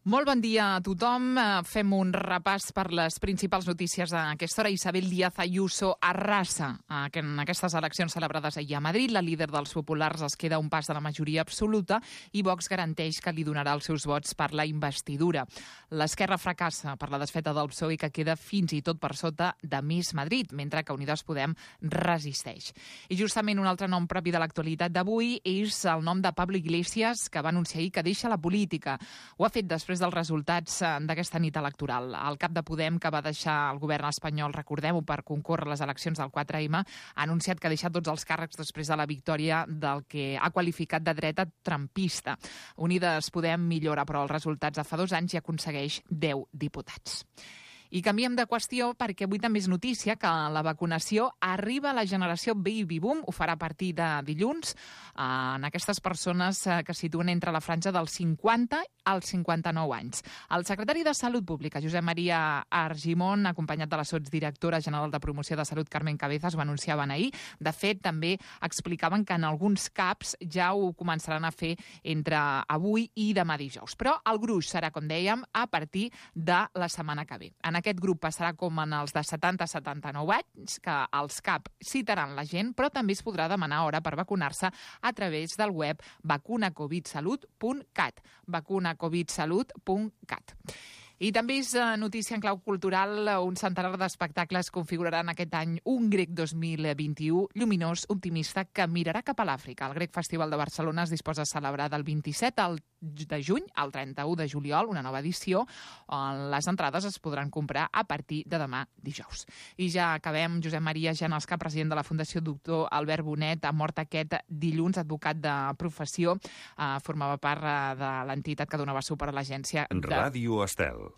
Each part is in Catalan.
Molt bon dia a tothom. Fem un repàs per les principals notícies d'aquesta hora. Isabel Díaz Ayuso arrasa en aquestes eleccions celebrades ahir a Madrid. La líder dels populars es queda a un pas de la majoria absoluta i Vox garanteix que li donarà els seus vots per la investidura. L'esquerra fracassa per la desfeta del PSOE, que queda fins i tot per sota de Més Madrid, mentre que Unides Podem resisteix. I justament un altre nom propi de l'actualitat d'avui és el nom de Pablo Iglesias, que va anunciar ahir que deixa la política. Ho ha fet després dels resultats d'aquesta nit electoral. El cap de Podem, que va deixar el govern espanyol, recordem-ho, per concórrer a les eleccions del 4M, ha anunciat que ha deixat tots els càrrecs després de la victòria del que ha qualificat de dreta trumpista. Unides Podem millora, però, els resultats de fa 2 anys i aconsegueix 10 diputats. I canviem de qüestió perquè avui també és notícia que la vacunació arriba a la generació Baby Boom. Ho farà a partir de dilluns en aquestes persones que situen entre la franja dels 50 als 59 anys. El secretari de Salut Pública, Josep Maria Argimon, acompanyat de la sotsdirectora general de Promoció de Salut, Carmen Cabezas, ho anunciaven ahir. De fet, també explicaven que en alguns CAPs ja ho començaran a fer entre avui i demà dijous. Però el gruix serà, com dèiem, a partir de la setmana que ve. En aquest grup passarà com en els de 70 a 79 anys, que els CAP citaran la gent, però també es podrà demanar hora per vacunar-se a través del web vacunacovidsalut.cat. vacunacovidsalut.cat. I també és notícia en clau cultural. Un centenar d'espectacles configuraran aquest any un Grec 2021 lluminós, optimista, que mirarà cap a l'Àfrica. El Grec Festival de Barcelona es disposa a celebrar del 27 de juny al 31 de juliol una nova edició. Les entrades es podran comprar a partir de demà dijous. I ja acabem. Josep Maria Janalska, president de la Fundació Doctor Albert Bonet, ha mort aquest dilluns, advocat de professió. Formava part de l'entitat que donava suport a l'agència Ràdio Estel.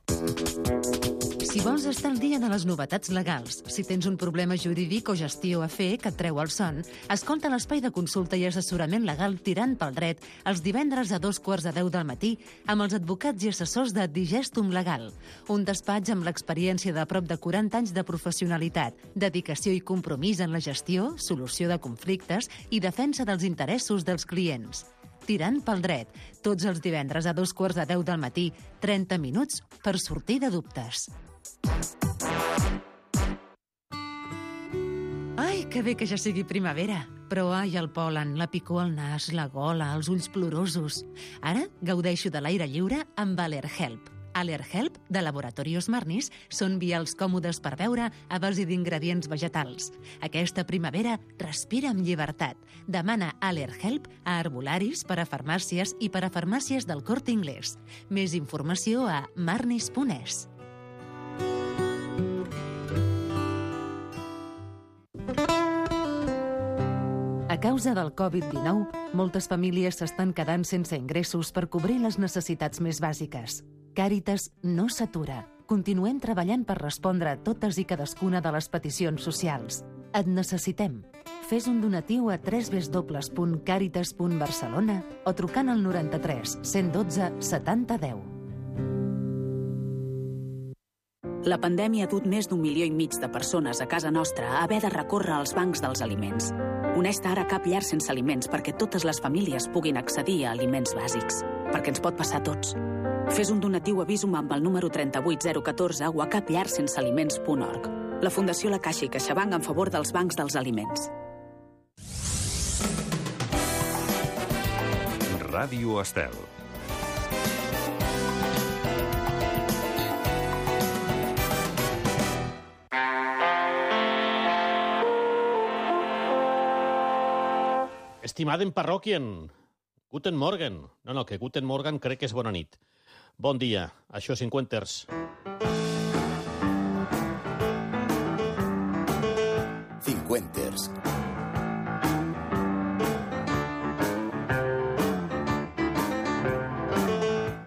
Si vols estar al dia de les novetats legals, si tens un problema jurídic o gestió a fer que et treu el son, escolta l'espai de consulta i assessorament legal Tirant pel Dret els divendres a 2:15 del matí amb els advocats i assessors de Digestum Legal, un despatx amb l'experiència de prop de 40 anys de professionalitat, dedicació i compromís en la gestió, solució de conflictes i defensa dels interessos dels clients. Tirant pel Dret, tots els divendres a 2:15 del matí, 30 minuts per sortir de dubtes. Ai, que bé que ja sigui primavera. Però ai, el pol·len, la picor al nas, la gola, els ulls plorosos. Ara gaudeixo de l'aire lliure amb Allerhelp. Allerhelp, de Laboratorios Marnis, són vials còmodes per beure a base d'ingredients vegetals. Aquesta primavera respira amb llibertat. Demana Allerhelp a herbolaris, per a farmàcies i per a farmàcies del Corte Inglés. Més informació a marnis.es. A causa del Covid-19, moltes famílies s'estan quedant sense ingressos per cobrir les necessitats més bàsiques. Càritas no s'atura. Continuem treballant per respondre a totes i cadascuna de les peticions socials. Et necessitem. Fes un donatiu a www.caritas.barcelona o trucant al 93 112 70 10. La pandèmia ha dut més d'1,5 milió de persones a casa nostra a haver de recórrer als bancs dels aliments. Uneix-te ara a Cap Llar Sense Aliments perquè totes les famílies puguin accedir a aliments bàsics. Perquè ens pot passar a tots. Fes un donatiu a Visum amb el número 38014 o a capllarsensealiments.org. La Fundació La Caixa i CaixaBank en favor dels bancs dels aliments. Ràdio Estel. Estimadem parròquien, Guten Morgen. No, que Guten Morgen crec que és bona nit. Bon dia, això és Cinquenters. Cinquenters.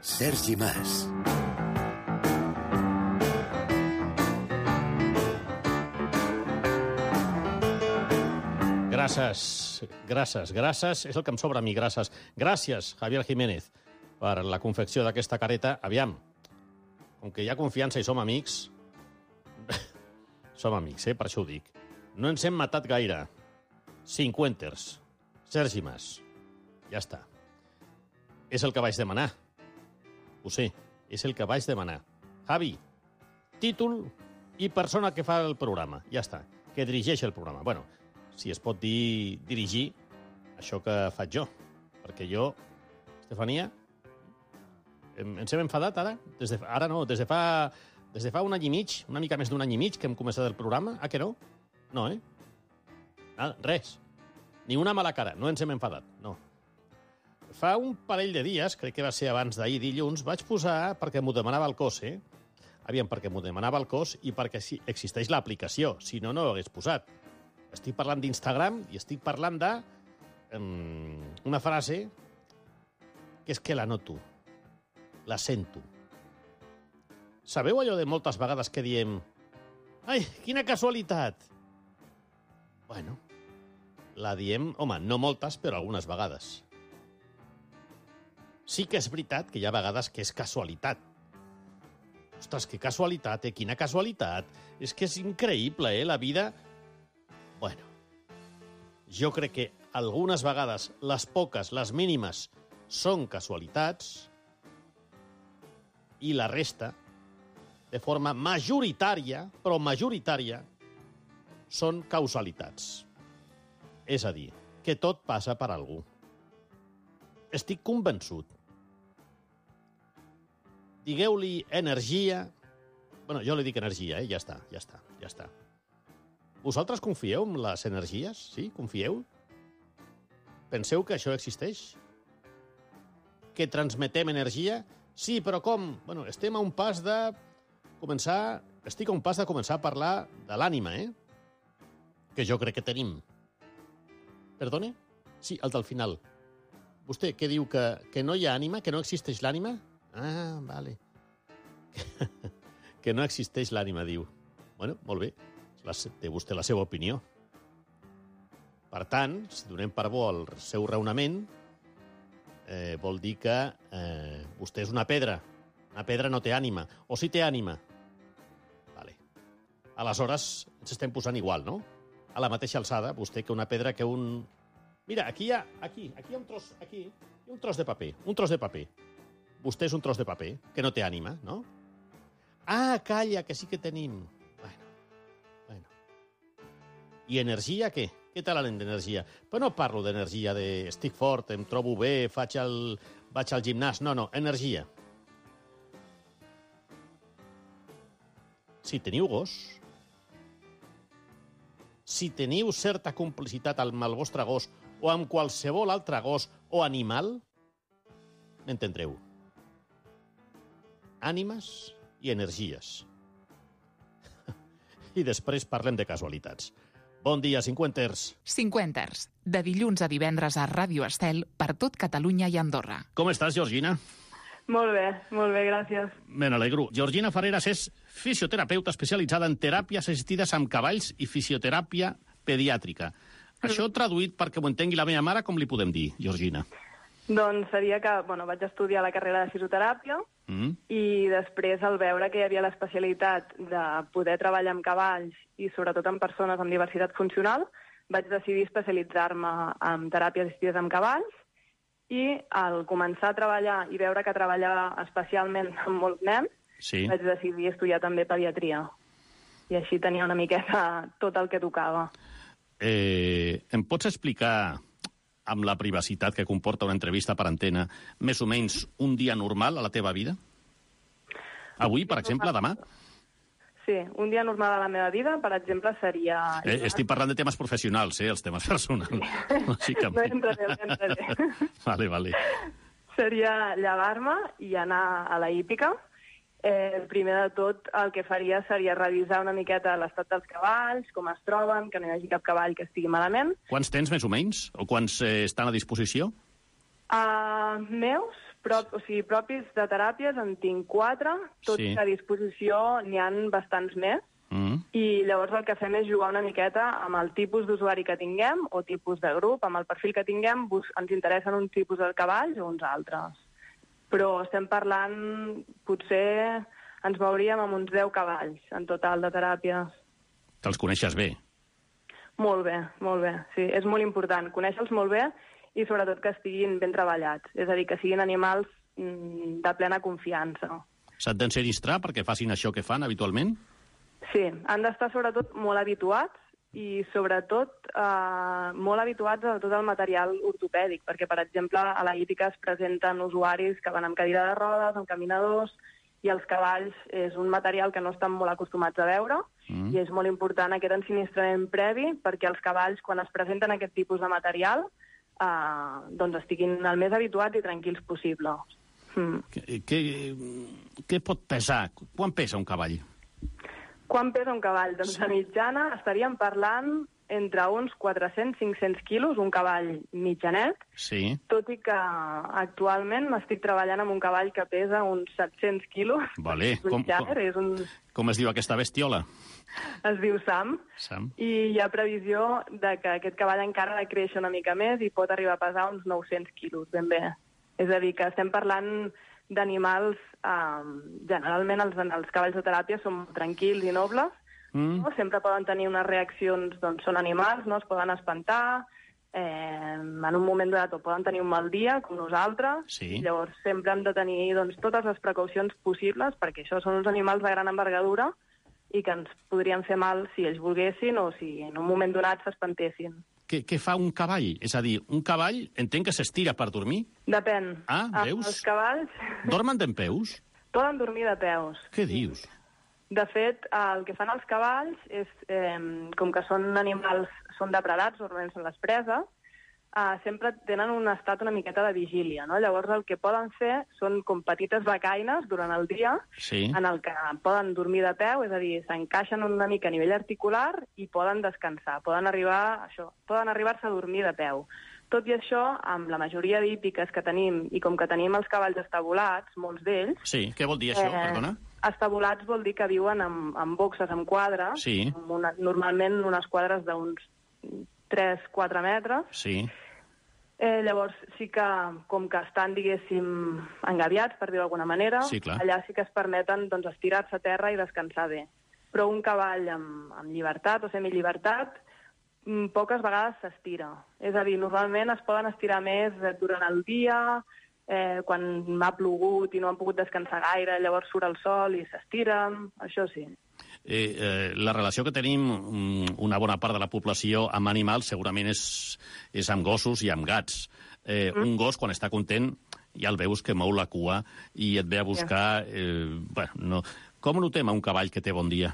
Sergi Mas. Gràcies. És el que em sobra a mi, gràcies. Gràcies, Javier Jiménez, per la confecció d'aquesta careta. Aviam, com que hi ha confiança i som amics, per això ho dic. No ens hem matat gaire. Cinquenters. Sergi Mas. Ja està. És el que vaig demanar. Ho sé. És el que vaig demanar. Javi, títol i persona que fa el programa. Ja està, que dirigeix el programa. Bueno, si es pot dir dirigir això que faig jo. Perquè jo, Estefania, ens hem enfadat ara? Ara no, des de fa un any i mig, una mica més d'un any i mig que hem començat el programa. Ah, que no? No, eh? Res. Ni una mala cara. No ens hem enfadat, no. Fa un parell de dies, crec que va ser abans d'ahir dilluns, vaig posar, perquè m'ho demanava el cos, Aviam, perquè m'ho demanava el cos i perquè sí, existeix l'aplicació. Si no, no ho hagués posat. Estic parlant d'Instagram i estic parlant de una frase que és que la noto, la sento. Sabeu allò de moltes vegades que diem «Ai, quina casualitat!» Bueno, la diem, home, no moltes, però algunes vegades. Sí que és veritat que hi ha vegades que és casualitat. Ostres, que casualitat, quina casualitat. És que és increïble, la vida... Bueno, jo crec que algunes vegades, les poques, les mínimes, són casualitats i la resta, de forma majoritària, però majoritària, són causalitats. És a dir, que tot passa per algú. Estic convençut. Digueu-li energia... Bueno, jo li dic energia, ja està. Vosaltres confieu en les energies? Sí? Confieu? Penseu que això existeix? Que transmetem energia? Sí, però com? Bueno, estem a un pas de començar... Estic a un pas de començar a parlar de l'ànima, que jo crec que tenim. Perdone? Sí, el del final. Vostè què diu, que no hi ha ànima, que no existeix l'ànima? Ah, vale. Que no existeix l'ànima, diu. Bueno, molt bé. Té vostè la seva opinió. Per tant, si donem per bo el seu raonament, vol dir que vostè és una pedra. Una pedra no té ànima. O sí té ànima. Vale. Aleshores, ens estem posant igual, no? A la mateixa alçada, vostè que una pedra que un... Mira, aquí hi ha un tros de paper. Un tros de paper. Vostè és un tros de paper, que no té ànima, no? Ah, calla, que sí que tenim. Bueno. I energia, què? Què tal d'energia? Però no parlo d'energia de estic fort, em trobo bé, vaig al gimnàs. No, energia. Si teniu gos, si teniu certa complicitat amb el vostre gos o amb qualsevol altre gos o animal, m'entendreu. Ànimes i energies. I després parlem de casualitats. Bon dia, cinquenters. Cinquenters, de dilluns a divendres a Ràdio Estel per tot Catalunya i Andorra. Com estàs, Georgina? Molt bé, gràcies. Me n'alegro. Georgina Ferreras és fisioterapeuta especialitzada en teràpies assistides amb cavalls i fisioteràpia pediàtrica. Això traduït perquè m'ho entengui la meva mare, com li podem dir, Georgina? Doncs seria que vaig estudiar la carrera de fisioteràpia i després, al veure que hi havia l'especialitat de poder treballar amb cavalls i sobretot amb persones amb diversitat funcional, vaig decidir especialitzar-me en teràpies assistides amb cavalls i al començar a treballar i veure que treballava especialment amb molts nens, vaig decidir estudiar també pediatria. I així tenia una miqueta tot el que tocava. Em pots explicar, amb la privacitat que comporta una entrevista per antena, més o menys un dia normal a la teva vida? Avui, per exemple, demà? Sí, un dia normal a la meva vida, per exemple, seria... Estic parlant de temes professionals, els temes personals. No entraré. Vale. Seria llevar-me i anar a la hípica. Primer de tot, el que faria seria revisar una miqueta l'estat dels cavalls, com es troben, que no hi hagi cap cavall que estigui malament. Quants tens, més o menys? O quants estan a disposició? Meus, propis de teràpies, en tinc 4. Tots a disposició n'hi ha bastants més. I llavors el que fem és jugar una miqueta amb el tipus d'usuari que tinguem o tipus de grup. Amb el perfil que tinguem ens interessen un tipus de cavalls o uns altres. Però estem parlant, potser ens mouríem amb uns 10 cavalls en total de teràpies. Te'ls coneixes bé? Molt bé, sí. És molt important conèixer-los molt bé i sobretot que estiguin ben treballats. És a dir, que siguin animals de plena confiança. S'han d'ensinistrar perquè facin això que fan habitualment? Sí, han d'estar sobretot molt habituats i sobretot molt habituats a tot el material ortopèdic, perquè, per exemple, a la hípica es presenten usuaris que van amb cadira de rodes, amb caminadors, i els cavalls és un material que no estan molt acostumats a veure, i és molt important aquest ensinistrament previ perquè els cavalls, quan es presenten aquest tipus de material, doncs estiguin el més habituats i tranquils possible. Què pot pesar? Quan pesa un cavall? Quan pesa un cavall? Doncs de mitjana estaríem parlant entre uns 400-500 quilos, un cavall mitjanet, sí. Tot i que actualment estic treballant amb un cavall que pesa uns 700 quilos. Vale. Com es diu aquesta bestiola? Es diu Sam. I hi ha previsió de que aquest cavall encara ha de créixer una mica més i pot arribar a pesar uns 900 quilos, ben bé. És a dir, que estem parlant d'animals... generalment els cavalls de teràpia són tranquils i nobles, no? Sempre poden tenir unes reaccions, doncs són animals, no? Es poden espantar, en un moment donat o poden tenir un mal dia, com nosaltres, sí. Llavors sempre hem de tenir doncs, totes les precaucions possibles, perquè això són uns animals de gran envergadura i que ens podrien fer mal si ells volguessin o si en un moment donat s'espantessin. Què fa un cavall? És a dir, un cavall entenc que s'estira per dormir? Depèn. Veus? Els cavalls... Dormen dempeus? Poden dormir de peus. Què dius? De fet, el que fan els cavalls és, com que són animals, són depredats, normalment són les preses, sempre tenen un estat una miqueta de vigília, no? Llavors el que poden fer són com petites becaines durant el dia, sí. En el que poden dormir de peu, és a dir, s'encaixen una mica a nivell articular i poden descansar, poden arribar-se a dormir de peu. Tot i això, amb la majoria d'hípiques que tenim, i com que tenim els cavalls estabulats, molts d'ells... Sí, què vol dir això, perdona? Estabulats vol dir que viuen amb boxes, amb quadres, sí. Normalment unes quadres d'uns 3-4 metres. Sí. Llavors sí que, com que estan, diguéssim, engabiats, per dir-ho d'alguna manera, sí, allà sí que es permeten doncs, estirar-se a terra i descansar bé. Però un cavall amb llibertat o semillibertat poques vegades s'estira. És a dir, normalment es poden estirar més durant el dia, quan m'ha plogut i no han pogut descansar gaire, llavors surt el sol i s'estiren, això sí. La relació que tenim una bona part de la població amb animals segurament és amb gossos i amb gats. Un gos, quan està content, ja el veus que mou la cua i et ve a buscar... Com notem a un cavall que té bon dia?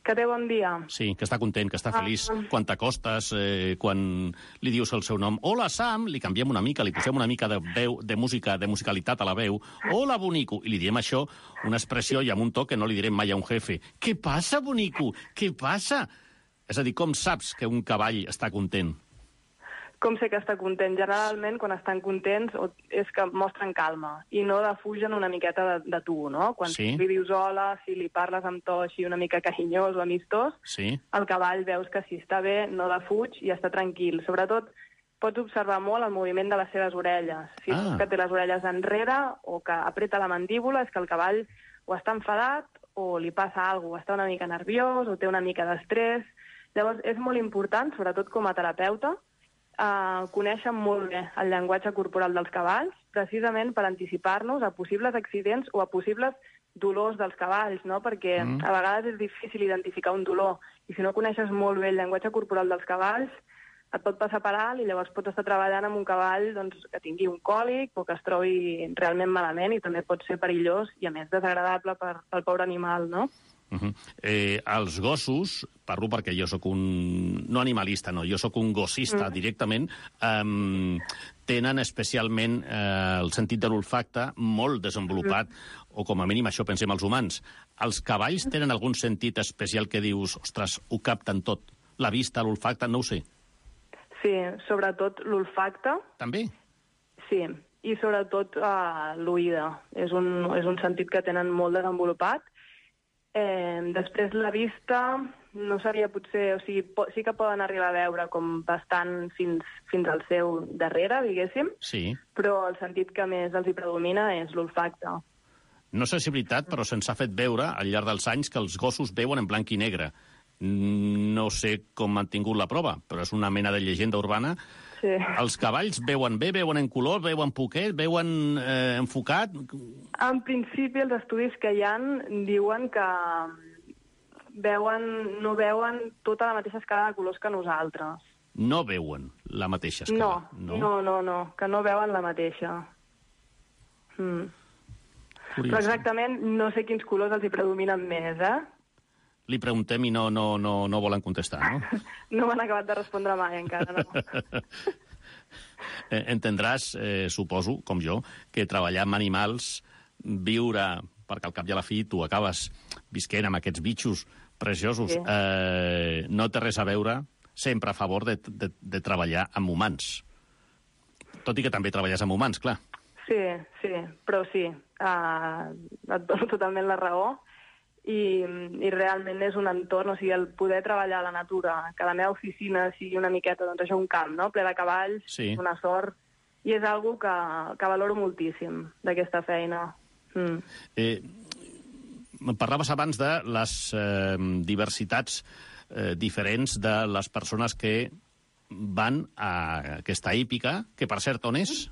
Que té bon dia. Sí, que està content, que està feliç. Quan t'acostes, quan li dius el seu nom. Hola, Sam, li canviem una mica, li posem una mica de veu, de música, de musicalitat a la veu. Hola, bonico. I li diem això, una expressió i amb un to que no li direm mai a un jefe. Què passa, bonico? Què passa? És a dir, com saps que un cavall està content? Com sé que està content? Generalment, quan estan contents, és que mostren calma i no defugen una miqueta de tu, no? Quan li dius hola, si li parles amb to així una mica carinyós o amistós, el cavall veus que si està bé, no defuig i està tranquil. Sobretot, pots observar molt el moviment de les seves orelles. Si veus que té les orelles enrere o que apreta la mandíbula, és que el cavall o està enfadat o li passa alguna cosa, o està una mica nerviós o té una mica d'estrès. Llavors, és molt important, sobretot com a terapeuta, coneixen molt bé el llenguatge corporal dels cavalls, precisament per anticipar-nos a possibles accidents o a possibles dolors dels cavalls, no? Perquè a vegades és difícil identificar un dolor, i si no coneixes molt bé el llenguatge corporal dels cavalls, et pot passar per alt i llavors pots estar treballant amb un cavall que tingui un còlic o que es trobi realment malament i també pot ser perillós i, a més, desagradable pel pobre animal, no? Els gossos, parlo perquè jo sóc no animalista, no, jo sóc un gossista directament, tenen especialment el sentit de l'olfacte molt desenvolupat, o com a mínim això pensem els humans. Els cavalls tenen algun sentit especial que dius, ostres, ho capten tot? La vista, l'olfacte, no ho sé. Sí, sobretot l'olfacte. També? Sí, i sobretot l'oïda. És un sentit que tenen molt desenvolupat. Després la vista no seria potser... O sigui, sí que poden arribar a veure com bastant fins al seu darrere, diguéssim, sí. Però el sentit que més els hi predomina és l'olfacte. No sé si és veritat, però se'ns ha fet veure al llarg dels anys que els gossos veuen en blanc i negre. No sé com han tingut la prova, però és una mena de llegenda urbana Sí. Els cavalls veuen bé, veuen en color, veuen poquet, veuen enfocat? En principi, els estudis que hi ha diuen que no veuen tota la mateixa escala de colors que nosaltres. No veuen la mateixa escala? No, que no veuen la mateixa. Però exactament no sé quins colors els hi predominen més, Li preguntem i no volen contestar, no? No m'han acabat de respondre mai, encara, no. Entendràs, suposo, com jo, que treballar amb animals, viure, perquè al cap i a la fi tu acabes visquent amb aquests bitxos preciosos, no té res a veure, sempre a favor de treballar amb humans. Tot i que també treballes amb humans, clar. Sí, però sí, et dono totalment la raó. I realment és un entorn, o sigui, el poder treballar a la natura, que la meva oficina sigui una miqueta, doncs això, un camp, no?, ple de cavalls, una sort, i és algo que valoro moltíssim d'aquesta feina. Parlaves abans de les diversitats diferents de les persones que van a aquesta hípica, que per cert, on és?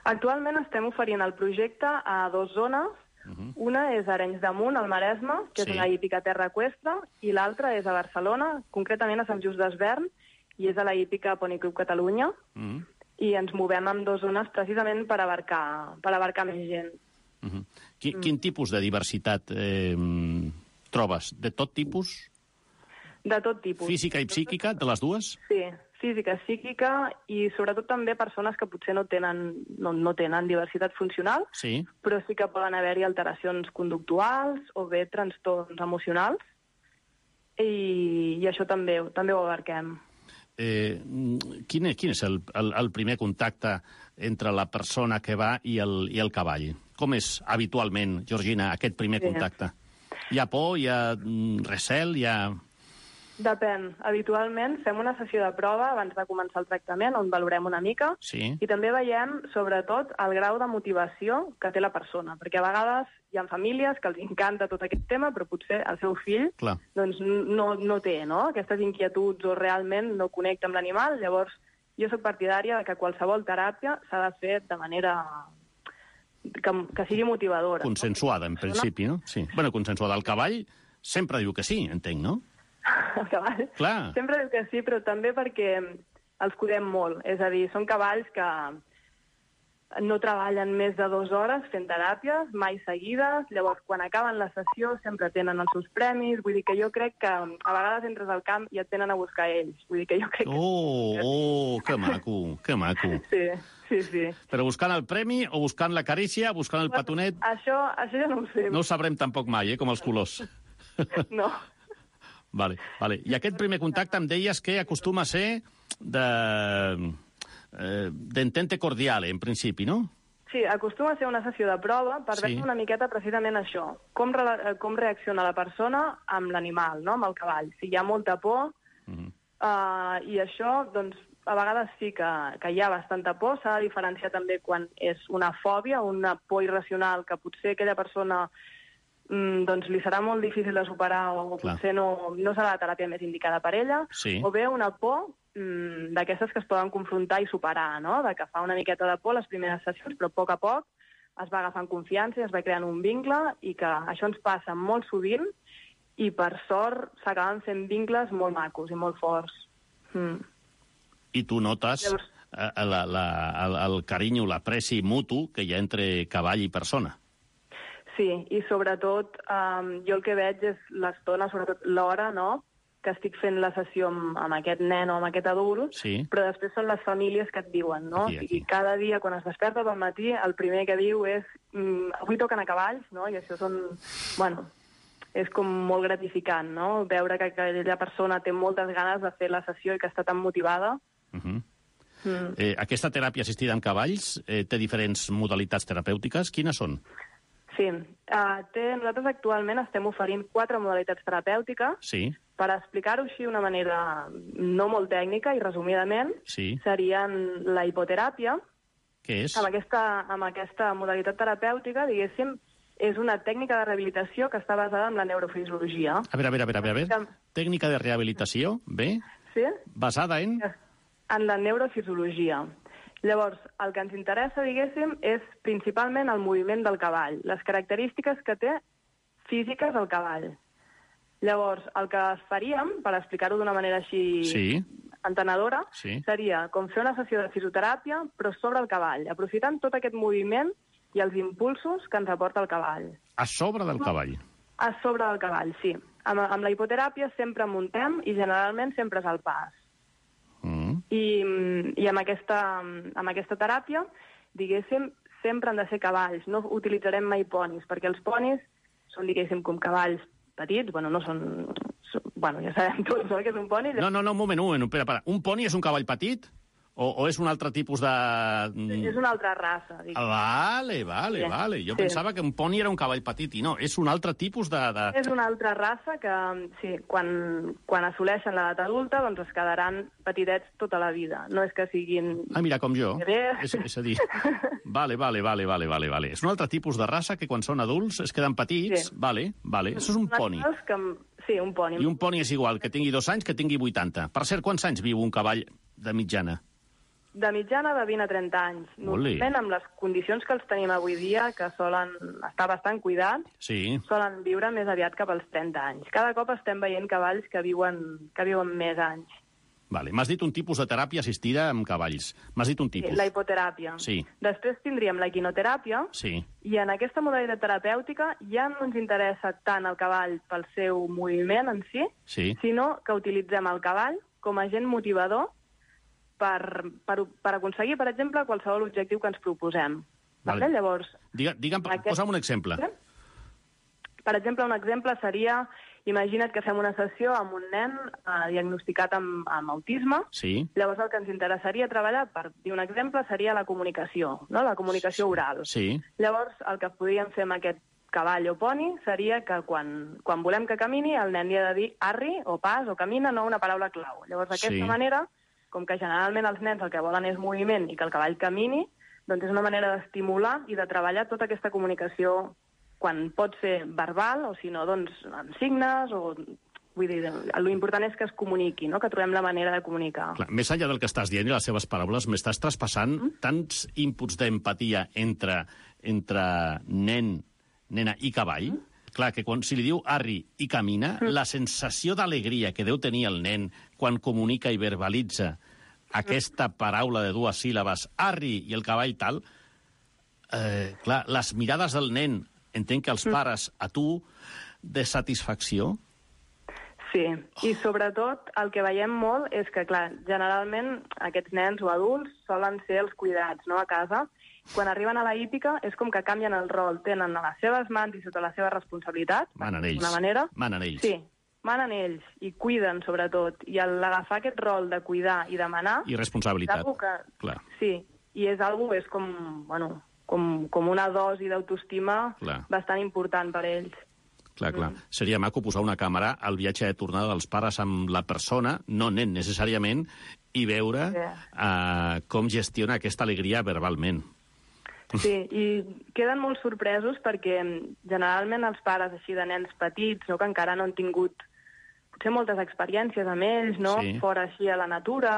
Actualment estem oferint el projecte a 2 zones. Una és a Arenys de Munt, al Maresme, que és una hípica terra eqüestre, i l'altra és a Barcelona, concretament a Sant Just Desvern, i és a la hípica Pony Club Catalunya, i ens movem en 2 zones precisament per abarcar més gent. Quin tipus de diversitat trobes? De tot tipus? De tot tipus. Física i psíquica, de les dues? Sí, física, psíquica, i sobretot també persones que potser no tenen diversitat funcional, però sí que poden haver-hi alteracions conductuals o bé trastorns emocionals, i això també ho abarquem. Quin és el primer contacte entre la persona que va i el cavall? Com és habitualment, Georgina, aquest primer contacte? Hi ha por, hi ha recel, hi ha... Depèn. Habitualment fem una sessió de prova abans de començar el tractament, on valorem una mica, i també veiem, sobretot, el grau de motivació que té la persona, perquè a vegades hi ha famílies que els encanta tot aquest tema, però potser el seu fill doncs, no té aquestes inquietuds o realment no connecta amb l'animal. Llavors, jo soc partidària que qualsevol teràpia s'ha de fer de manera que sigui motivadora. Consensuada, en principi, no? Sí. Bueno, consensuada. El cavall sempre diu que sí, entenc, no? El cavall. Clar. Sempre diu que sí, però també perquè els cuidem molt. És a dir, són cavalls que no treballen més de 2 hores fent teràpies, mai seguides. Llavors, quan acaben la sessió, sempre tenen els seus premis. Vull dir que jo crec que a vegades entres al camp i et tenen a buscar ells. Vull dir que jo crec que... que maco, que maco. Sí. Però buscant el premi o buscant la carícia, buscant el petonet... Això ja no ho sé. No ho sabrem tampoc mai, com els colors. No. Vale. I aquest primer contacte em deies que acostuma a ser d'entente cordiale, en principi, no? Sí, acostuma a ser una sessió de prova per veure una miqueta precisament això, com reacciona la persona amb l'animal, no?, amb el cavall. Si hi ha molta por, i això, doncs, a vegades sí que hi ha bastanta por. S'ha de diferenciar també quan és una fòbia, una por irracional que potser aquella persona... doncs li serà molt difícil de superar o potser no serà la teràpia més indicada per ella, o bé una por d'aquestes que es poden confrontar i superar, no?, de que fa una miqueta de por les primeres sessions, però a poc es va agafant confiança i es va creant un vincle, i que això ens passa molt sovint, i per sort s'acaben fent vincles molt macos i molt forts. I tu notes el carinyo, l'apreci mutu que hi ha entre cavall i persona. Sí, i sobretot jo el que veig és l'estona, sobretot l'hora, no?, que estic fent la sessió amb aquest nen o amb aquest adult, però després són les famílies que et diuen, no? I cada dia, quan es desperta pel matí, el primer que diu és avui toquen a cavalls, no? I això és com molt gratificant, no?, veure que aquella persona té moltes ganes de fer la sessió i que està tan motivada. Aquesta teràpia assistida amb cavalls té diferents modalitats terapèutiques. Quines són? Sí. Nosaltres actualment estem oferint 4 modalitats terapèutiques. Per explicar-ho així d'una manera no molt tècnica i resumidament, serien la hipoteràpia. Què és? Amb aquesta modalitat terapèutica, diguéssim, és una tècnica de rehabilitació que està basada en la neurofisiologia. A veure. Tècnica de rehabilitació, bé? Sí. Basada en? en la neurofisiologia. Llavors, el que ens interessa, diguéssim, és principalment el moviment del cavall, les característiques que té físiques al cavall. Llavors, el que faríem, per explicar-ho d'una manera així entenedora, seria com fer una sessió de fisioteràpia, però sobre el cavall, aprofitant tot aquest moviment i els impulsos que ens aporta el cavall. A sobre del cavall? A sobre del cavall, sí. Amb la hipoteràpia sempre muntem i generalment sempre és al pas. I amb aquesta teràpia, diguéssim, sempre han de ser cavalls. No utilitzarem mai ponis, perquè els ponis són, diguéssim, com cavalls petits. Bueno, no són... Bueno, ja sabem tots, no?, que és un poni. No, un moment, espera. Un poni és un cavall petit? O és un altre tipus de... És una altra raça, diguéssim. Vale. Jo pensava que un poni era un cavall petit, i no, és un altre tipus de... És una altra raça que, sí, quan assoleixen l'edat adulta, doncs es quedaran petitets tota la vida. No és que siguin... Ah, mira, com jo. És a dir... Vale. És un altre tipus de raça que quan són adults es queden petits. Sí. Vale. Això és un poni. Sí, un poni. I un poni és igual que tingui 2 anys que tingui 80. Per cert, quants anys viu un cavall de mitjana? De mitjana de 20 a 30 anys. Normalment, amb les condicions que els tenim avui dia, que solen estar bastant cuidats, solen viure més aviat cap als 30 anys. Cada cop estem veient cavalls que viuen més anys. Vale. M'has dit un tipus de teràpia assistida amb cavalls. M'has dit un tipus. Sí, la hipoteràpia. Sí. Després tindríem la equinoteràpia. Sí. I en aquesta modalitat terapèutica ja no ens interessa tant el cavall pel seu moviment en si, sinó que utilitzem el cavall com a agent motivador per aconseguir, per exemple, qualsevol objectiu que ens proposem. Vale. Llavors... Posa'm un exemple. Per exemple, un exemple seria, imagina't que fem una sessió amb un nen diagnosticat amb autisme. Sí. Llavors el que ens interessaria treballar, per dir un exemple, seria la comunicació, no? La comunicació oral. Sí. Llavors el que podríem fer amb aquest cavall o poni seria que quan volem que camini, el nen li ha de dir arri o pas o camina, no una paraula clau. Llavors d'aquesta manera, com que generalment els nens el que volen és moviment i que el cavall camini, doncs és una manera d'estimular i de treballar tota aquesta comunicació quan pot ser verbal o, si no, doncs, amb signes o... Vull dir, l'important és que es comuniqui, no?, que trobem la manera de comunicar. Clar, més enllà del que estàs dient i les seves paraules, m'estàs traspassant tants inputs d'empatia entre nen, nena i cavall. Clar, que si li diu arri i camina, la sensació d'alegria que deu tenir el nen quan comunica i verbalitza aquesta paraula de 2 síl·labes, arri, i el cavall tal, clar, les mirades del nen, entenc que els pares a tu, de satisfacció. Sí, i sobretot el que veiem molt és que, clar, generalment aquests nens o adults solen ser els cuidats, no?, a casa. Quan arriben a la hípica és com que canvien el rol, tenen a les seves mans i sota la seva responsabilitat, manen ells. d'una manera. Manen ells. Sí, manen ells i cuiden, sobretot. I l'agafar aquest rol de cuidar i demanar... I responsabilitat, clar. Sí, i és com, bueno, com una dosi d'autoestima bastant important per ells. Clar. Seria maco posar una càmera al viatge de tornada dels pares amb la persona, no nen necessàriament, i veure com gestiona aquesta alegria verbalment. Sí, i queden molt sorpresos perquè generalment els pares així de nens petits, no, que encara no han tingut potser moltes experiències amb ells, no, fora així a la natura,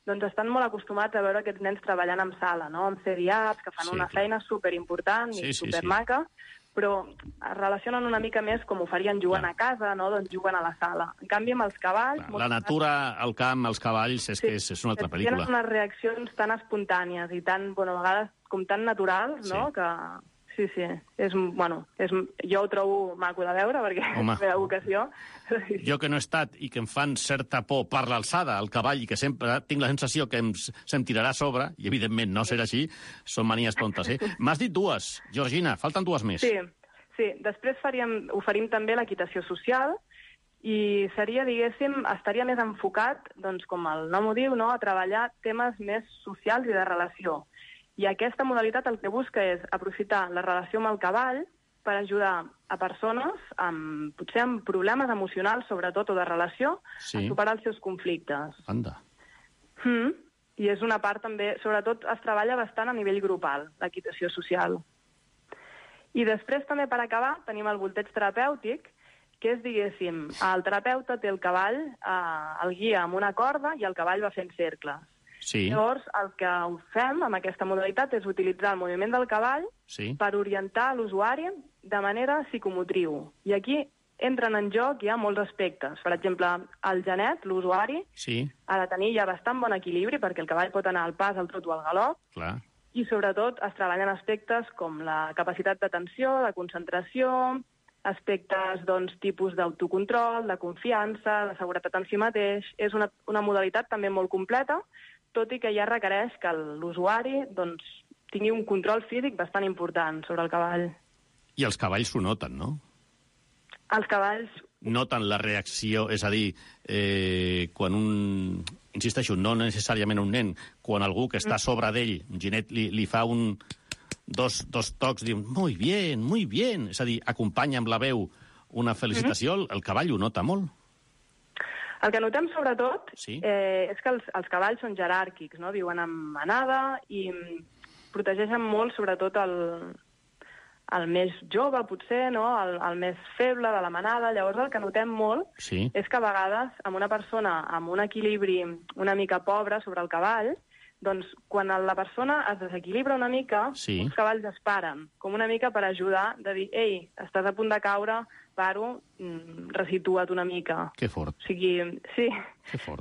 doncs estan molt acostumats a veure aquests nens treballant en sala, no, amb CDAPs, que fan una feina superimportant i supermaca, però es relacionen una mica més com ho farien jugant a casa, no? Doncs juguen a la sala. En canvi, amb els cavalls... La natura, el camp, els cavalls, és que és una altra pel·lícula. Tenen unes reaccions tan espontànies i tan, bueno, a vegades com tan naturals, no?, que... Sí, jo ho trobo maco de veure, perquè és la meva vocació. Jo que no he estat i que em fan certa por per l'alçada, al cavall, i que sempre tinc la sensació que se'm tirarà a sobre, i evidentment no serà així, són manies tontes, M'has dit 2, Georgina, falten 2 més. Sí. Després oferim també l'equitació social, i seria, diguéssim, estaria més enfocat, doncs, com el nom ho diu, no?, a treballar temes més socials i de relació. I aquesta modalitat el que busca és aprofitar la relació amb el cavall per ajudar a persones potser amb problemes emocionals, sobretot, o de relació, a superar els seus conflictes. Anda. I és una part també, sobretot es treballa bastant a nivell grupal, l'equitació social. I després també, per acabar, tenim el volteig terapèutic, que és, diguéssim, el terapeuta té el cavall, el guia amb una corda i el cavall va fent cercles. Sí. Llavors, el que fem amb aquesta modalitat és utilitzar el moviment del cavall per orientar l'usuari de manera psicomotriu. I aquí entren en joc ja molts aspectes. Per exemple, el genet, l'usuari, ha de tenir ja bastant bon equilibri perquè el cavall pot anar al pas, al trot o al galop. Clar. I sobretot es treballen aspectes com la capacitat d'atenció, de concentració, aspectes, doncs, tipus d'autocontrol, de confiança, de seguretat en si mateix. És una modalitat també molt completa, tot i que ja requereix que l'usuari doncs, tingui un control físic bastant important sobre el cavall. I els cavalls ho noten, no? Els cavalls... Noten la reacció, és a dir, quan insisteixo, no necessàriament un nen, quan algú que està a sobre d'ell, un genet, li fa dos tocs, diu, muy bien, és a dir, acompanya amb la veu una felicitació, el cavall ho nota molt. El que notem, sobretot, és que els cavalls són jeràrquics, no? Viuen en manada i protegeixen molt, sobretot, el més jove, potser, no? El més feble de la manada. Llavors, el que notem molt és que a vegades, amb una persona amb un equilibri una mica pobre sobre el cavall, doncs, quan la persona es desequilibra una mica, els cavalls es paren, com una mica per ajudar, de dir, ei, estàs a punt de caure, paro, resitua't una mica. Que fort. O sigui, sí,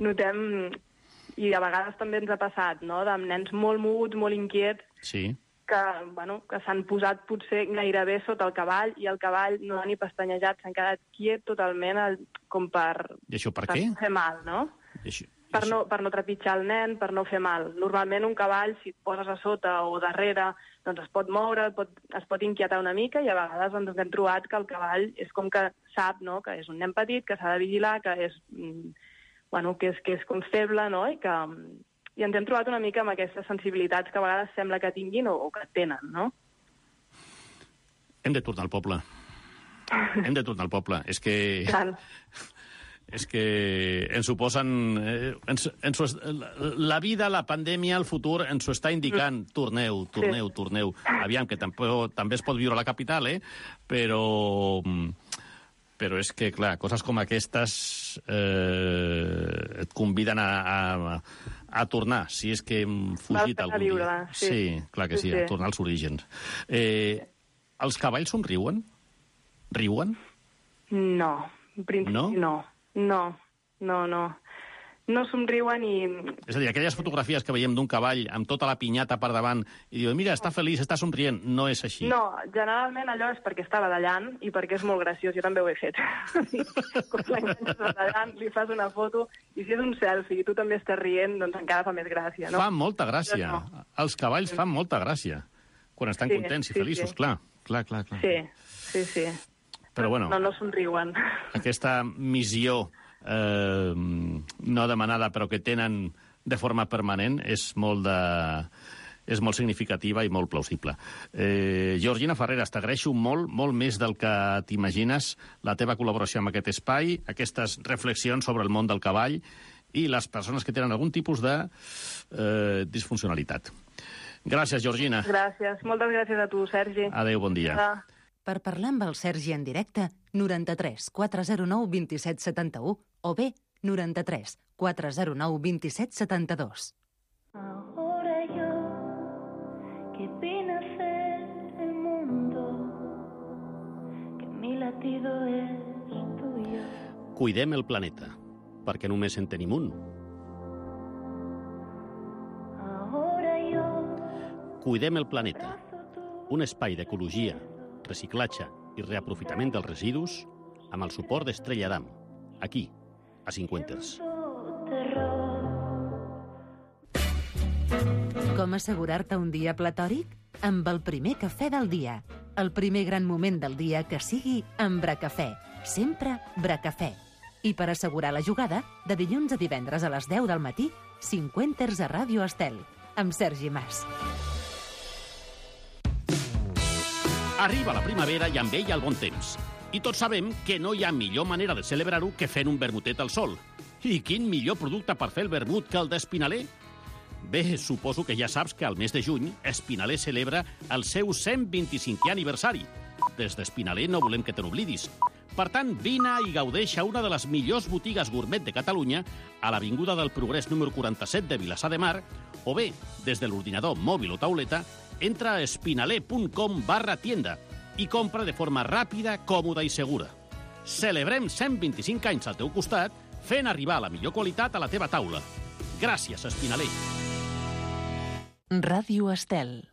notem... I a vegades també ens ha passat, no?, de nens molt moguts, molt inquiets, que s'han posat potser gairebé sota el cavall i el cavall no ha ni pestanyejat, s'han quedat quiet totalment com per... I això per què? No fer mal, no? Per no trepitjar el nen, per no fer mal. Normalment un cavall, si et poses a sota o darrere, doncs es pot moure, es pot inquietar una mica i a vegades ens hem trobat que el cavall és com que sap, no?, que és un nen petit, que s'ha de vigilar, que és com feble, no?, i ens hem trobat una mica amb aquestes sensibilitats que a vegades sembla que tinguin o que tenen, no? Hem de tornar al poble. Hem de tornar al poble. És que ens ho posen... La vida, la pandèmia, el futur ens ho està indicant. Torneu. Aviam, que també es pot viure a la capital, però és que, clar, coses com aquestes et conviden a tornar, si és que hem fugit algun dia. Sí, clar que sí, a tornar als orígens. Els cavalls somriuen? Riuen? No, en principi no. No somriuen i... És a dir, aquelles fotografies que veiem d'un cavall amb tota la pinyata per davant i diu, mira, està feliç, està somrient, no és així. No, generalment allò és perquè està badallant i perquè és molt graciós, jo també ho he fet. Quan l'enganxes badallant, li fas una foto i si és un selfie i tu també estàs rient, doncs encara fa més gràcia, no? Fa molta gràcia. No. Els cavalls fan molta gràcia. Quan estan contents i feliços, clar. Sí. Però bueno... No somriuen. Aquesta missió... no demanada però que tenen de forma permanent és molt significativa i molt plausible. Georgina Farreras, t'agraeixo molt més del que t'imagines la teva col·laboració amb aquest espai, aquestes reflexions sobre el món del cavall i les persones que tenen algun tipus de disfuncionalitat. Gràcies, Georgina. Gràcies. Moltes gràcies a tu, Sergi. Adéu, bon dia. Per parlar amb el Sergi en directe, 93 409 27 71 o bé 93 409 27 72. Ahora yo, que vine a hacer el mundo, que mi latido es tuyo. Cuidem el planeta, perquè només en tenim un. Ahora yo... Cuidem el planeta, un espai d'ecologia, reciclatge i reaprofitament dels residus amb el suport d'Estrella Damm, aquí, a Cinquenters. Com assegurar-te un dia platòric? Amb el primer cafè del dia. El primer gran moment del dia que sigui amb Bracafè. Sempre Bracafè. I per assegurar la jugada, de dilluns a divendres a les 10 del matí, Cinquenters a Ràdio Estel, amb Sergi Mas. Arriba la primavera i amb ella el bon temps. I tots sabem que no hi ha millor manera de celebrar-ho que fent un vermutet al sol. I quin millor producte per fer el vermut que el d'Espinaler? Bé, suposo que ja saps que al mes de juny Espinaler celebra el seu 125è aniversari. Des d'Espinaler no volem que te n'oblidis. Per tant, vine i gaudeix a una de les millors botigues gourmet de Catalunya, a l'Avinguda del Progrés número 47 de Vilassar de Mar, o bé, des de l'ordinador mòbil o tauleta, entra a espinaler.com/tienda i compra de forma ràpida, còmoda i segura. Celebrem 125 anys al teu costat, fent arribar la millor qualitat a la teva taula. Gràcies, Espinaler. Ràdio Estel.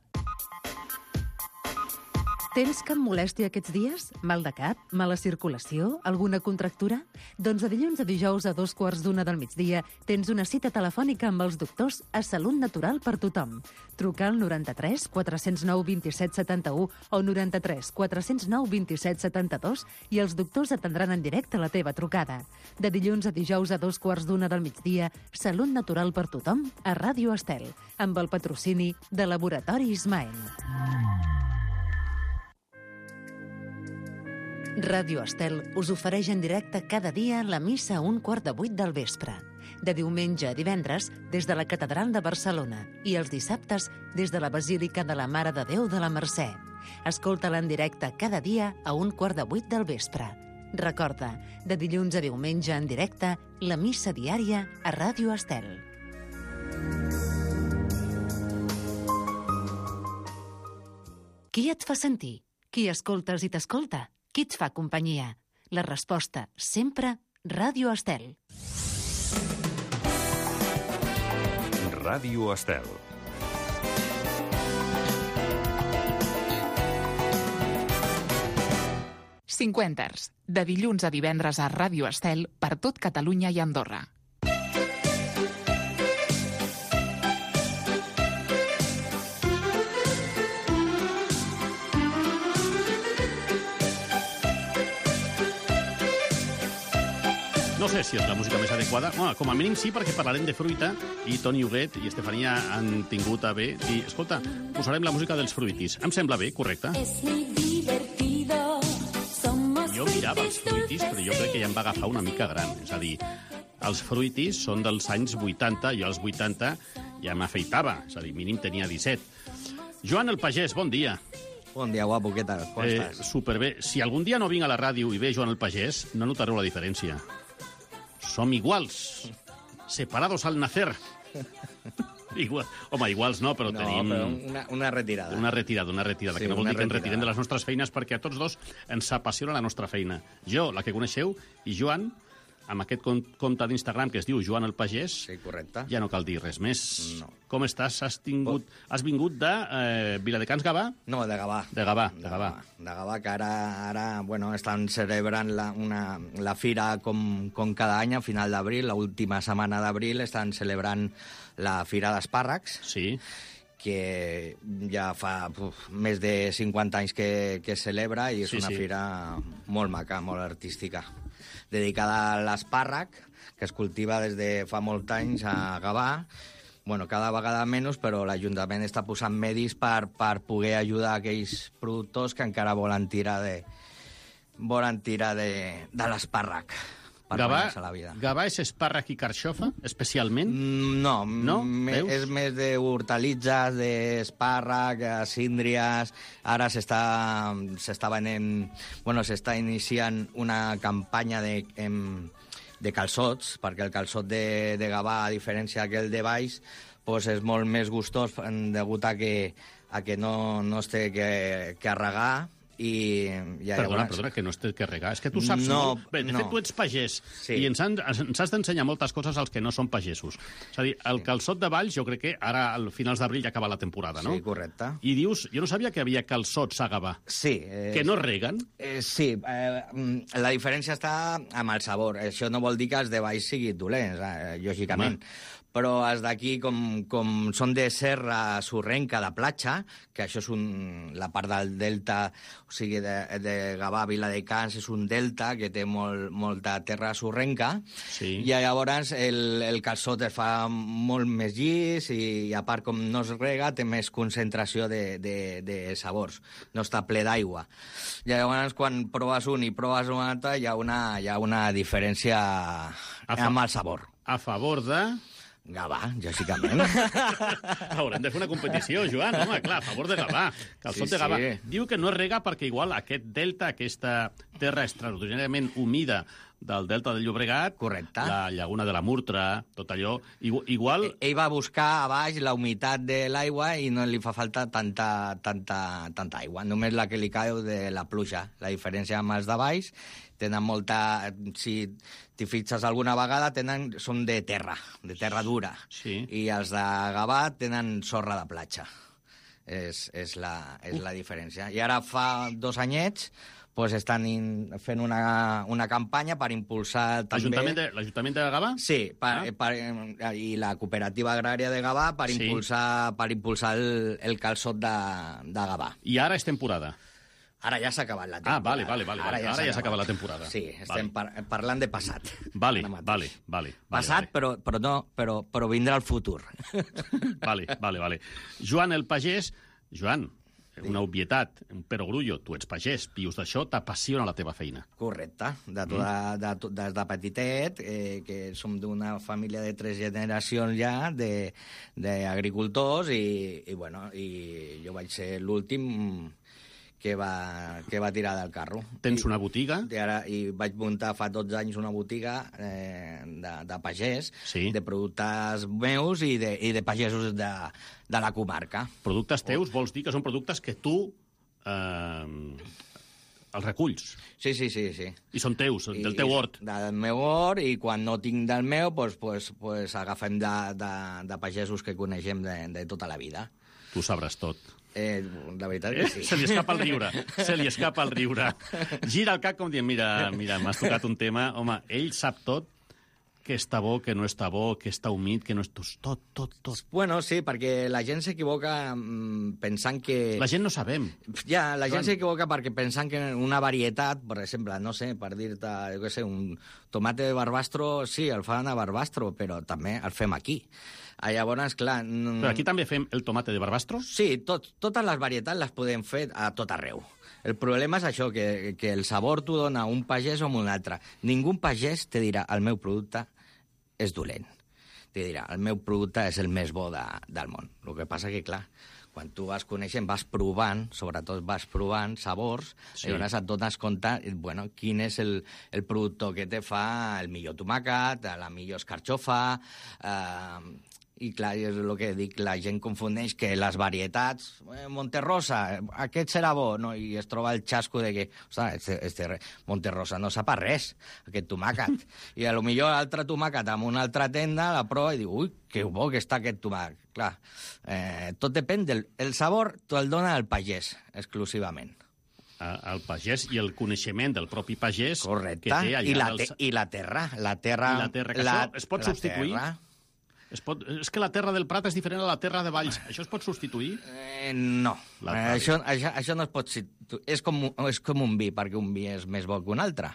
Tens cap molèstia aquests dies? Mal de cap? Mala circulació? Alguna contractura? Doncs de dilluns a dijous a 2:15 del migdia tens una cita telefònica amb els doctors a Salut Natural per tothom. Truca al 93 409 27 71 o 93 409 27 72 i els doctors atendran en directe la teva trucada. De dilluns a dijous a 2:15 del migdia, Salut Natural per tothom a Ràdio Estel, amb el patrocini de Laboratori Ismael. Ràdio Estel us ofereix en directe cada dia la missa a 7:15 del vespre. De diumenge a divendres, des de la Catedral de Barcelona i els dissabtes des de la Basílica de la Mare de Déu de la Mercè. Escolta-la en directe cada dia a 7:15 del vespre. Recorda, de dilluns a diumenge en directe, la missa diària a Ràdio Estel. Qui et fa sentir? Qui escoltes i t'escolta? Qui et fa companyia? La resposta, sempre, Ràdio Estel. Ràdio Estel. Cinquenters, de dilluns a divendres a Ràdio Estel per tot Catalunya i Andorra. No sé si és la música més adequada. Bueno, com a mínim sí, perquè parlarem de fruita i Toni Huguet i Estefania han tingut a bé dir, escolta, posarem la música dels fruitis. Em sembla bé, correcte? Jo mirava els fruitis, però jo crec que ja em va agafar una mica gran. És a dir, els fruitis són dels anys 80, jo als 80 ja m'afeitava, és a dir, mínim tenia 17. Joan el Pagès, bon dia. Bon dia, guapo, què tal? Com estàs? Superbé. Si algun dia no vinc a la ràdio i ve Joan el Pagès, no notareu la diferència. Som iguals, separados al nacer. Igual. Home, iguals no, però tenim... No, però una retirada. Una retirada, Sí, que no vol dir que ens retirada. retirem de les nostres feines, perquè a tots dos ens apassiona la nostra feina. Jo, la que coneixeu, i Joan, amb aquest compte d'Instagram que es diu Joan el Pagès, Sí, correcte. ja no cal dir res més. No. Com estàs? Has vingut de Viladecans, Gavà? No, de Gavà. De Gavà. De Gavà, que ara bueno, estan celebrant la fira com cada any, a final d'abril, l'última setmana d'abril, estan celebrant la fira d'espàrrecs, Sí. que ja fa més de 50 anys que es celebra i és una fira molt maca, molt artística, dedicada a l'espàrrec, que es cultiva des de fa molts anys a Gavà. Bueno, cada vegada menys, però l'Ajuntament està posant medis per poder ajudar aquells productors que encara volen tirar de l'espàrrec per guanyar-se la vida. Gavà és espàrrec i carxofa, especialment? No, Veus? és més d'hortalitzes, d'espàrrec, síndries. Ara s'està venent... Bueno, s'està iniciant una campanya de calçots, perquè el calçot de Gavà, a diferència d'aquell de Baix, doncs és molt més gustós degut a que no es té que regar. Perdona, que no es té que regar. És que tu saps molt... Bé, de fet, tu ets pagès i ens has d'ensenyar moltes coses als que no són pagesos. És a dir, el calçot de Valls, jo crec que ara, al finals d'abril, ja acaba la temporada, no? Sí, correcte. I dius, jo no sabia que havia calçots a Gavà. Sí. Que no reguen? Sí, la diferència està amb el sabor. Això no vol dir que els de Baix siguin dolents, lògicament. Però els d'aquí, com són de serra sorrenca, de platja, que això és la part del delta, o sigui, de Gavà, Viladecans, és un delta que té molta terra sorrenca, i llavors el calçot es fa molt més llis i, a part, com no es rega, té més concentració de sabors, no està ple d'aigua. Llavors, quan proves un i proves un altre, hi ha una diferència amb el sabor. A favor de... Gavà, lògicament. Haurem de fer una competició, Joan, home, clar, a favor de Gavà. Calçot de Gavà. Diu que no es rega perquè igual aquest delta, aquesta terra extraordinàriament humida del delta del Llobregat, correcte, la llaguna de la Murtra, tot allò, igual... Ell va buscar a baix la humitat de l'aigua i no li fa falta tanta aigua, només la que li cau de la pluja. La diferència amb els de baix, tenen molta... Si t'hi fixes alguna vegada, són de terra dura. Sí. I els de Gavà tenen sorra de platja. És la diferència. I ara fa 2 anyets pues estan fent una campanya per impulsar també... L'Ajuntament de Gavà? Sí, i la cooperativa agrària de Gavà per impulsar el calçot de Gavà. I ara és temporada? Ara ja s'ha acabat la temporada. Vale. Ara ja s'ha acabat la temporada. Sí, estem parlant de passat. Vale. Passat, però vindrà el futur. Vale. Joan, el pagès... Joan, una obvietat, un perogrullo, tu ets pagès, vius d'això, t'apassiona la teva feina. Correcte, des de petitet, que som d'una família de 3 generacions ja d'agricultors i jo vaig ser l'últim que va tirar del carro. Tens una botiga? I vaig muntar fa 12 anys una botiga de pagès, de productes meus i de pagesos de la comarca. Productes teus vols dir que són productes que tu els reculls? Sí. I són teus, del teu hort? Del meu hort, i quan no tinc del meu, pues agafem de pagesos que coneixem de tota la vida. Tu sabràs tot. La veritat que sí. Se li escapa el riure. Gira el cap com dient, mira, m'has tocat un tema. Home, ell sap tot, què està bo, què no està bo, què està humit, què no és... Tot. Bueno, sí, perquè la gent s'equivoca pensant que... La gent no sabem. Ja, la gent s'equivoca perquè pensant que una varietat, per exemple, no sé, per dir-te, jo què sé, un tomate de Barbastro, sí, el fan a Barbastro, però també el fem aquí. Llavors, clar... Però aquí també fem el tomate de Barbastro? Sí, totes les varietats les podem fer a tot arreu. El problema és això, que el sabor t'ho dona un pagès o un altre. Ningú pagès te dirà el meu producte és dolent. Te dirà el meu producte és el més bo del món. El que passa que, clar, quan tu vas coneixent, vas provant, sobretot vas provant sabors, llavors et dones compte, quin és el productor que te fa el millor tomàquet, la millor escarxofa... I clar, és el que dic, la gent confundeix que les varietats, Monterrosa, aquest serà bo, no? I es troba el xasco de que, Monterrosa no sap a res, aquest tomàquet. I a lo millor l'altre tomàquet amb una altra tenda la prova i diu, ui, que bo que està aquest tomàquet. Clar, tot depèn el sabor, te'l dona el pagès, exclusivament. El pagès i el coneixement del propi pagès. Correcte, que té allà i la terra. La terra, que això es pot substituir? És que la terra del Prat és diferent a la terra de Valls. Això es pot substituir? No. Això no es pot substituir. És com un vi, perquè un vi és més bo que un altre.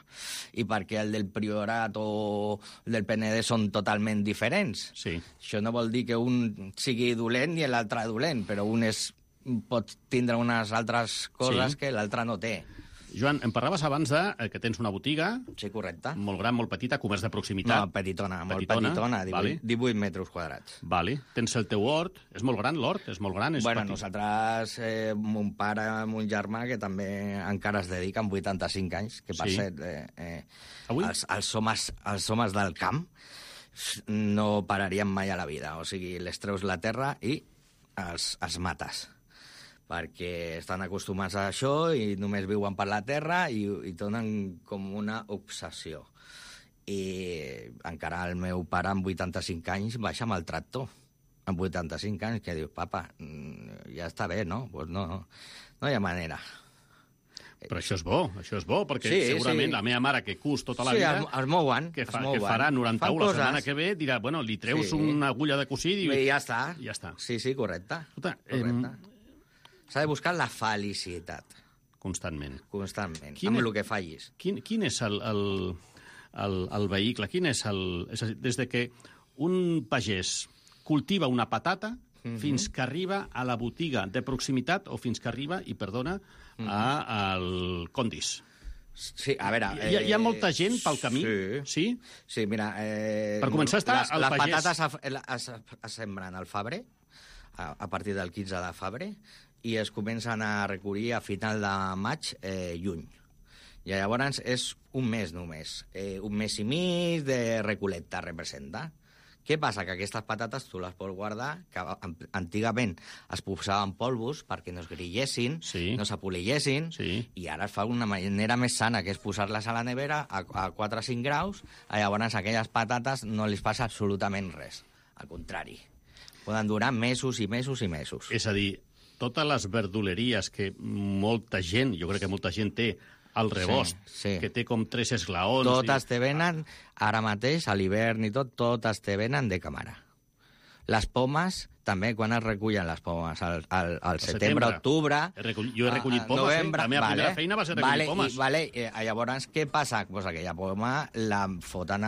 I perquè el del Priorat o del Penedès són totalment diferents. Sí. Això no vol dir que un sigui dolent i l'altre dolent, però un pot tindre unes altres coses que l'altre no té. Joan, em parlaves abans que tens una botiga... Sí, correcte. Molt gran, molt petita, comerç de proximitat. No, petitona, molt petitona, 18 metres quadrats. Vale. Tens el teu hort. És molt gran, l'hort? És molt gran? Nosaltres, mon pare, mon germà, que també encara es dedica amb 85 anys, que per cert, els homes del camp no pararien mai a la vida. O sigui, les treus la terra i els mates. Perquè estan acostumats a això i només viuen per la terra i donen com una obsessió. I encara el meu pare, amb 85 anys, baixa amb el tractor. Amb 85 anys, que diu, papa, ja està bé, no? Pues no hi ha manera. Però això és bo, perquè segurament la meva mare, que cus tota la vida... Sí, es mouen. Que farà 91 la setmana que ve, dirà, bueno, li treus una agulla de cosir i... I ja està. Sí, correcte. Correcte. S'ha de buscar la felicitat. Constantment. Amb el que fallis. Quin és el vehicle? És a dir, des de que un pagès cultiva una patata fins que arriba a la botiga de proximitat o fins que arriba, al Condis. Sí, a veure... Hi ha molta gent pel camí? Sí? Sí, mira... Per començar està el pagès... Les patates es sembren al febrer, a partir del 15 de febrer, i es comencen a recollir a final de maig, juny. I llavors és un mes només. Un mes i mig de recolecta representa. Què passa? Que aquestes patates tu les pots guardar, que antigament es posaven polvos perquè no es grillessin, no s'apolillessin, i ara es fa una manera més sana, que és posar-les a la nevera a 4 o 5 graus, llavors a aquelles patates no li passa absolutament res. Al contrari, poden durar mesos i mesos i mesos. És a dir, totes les verduleries que molta gent, jo crec que molta gent té, al rebost, que té com 3 esglaons... Totes te venen, ara mateix, a l'hivern i tot, totes te venen de càmera. Les pomes, també, quan es recullen les pomes? Al setembre, octubre... Jo he recollit pomes, novembre, la meva primera feina va ser recollir pomes. Llavors, què passa? Pues aquella poma la foten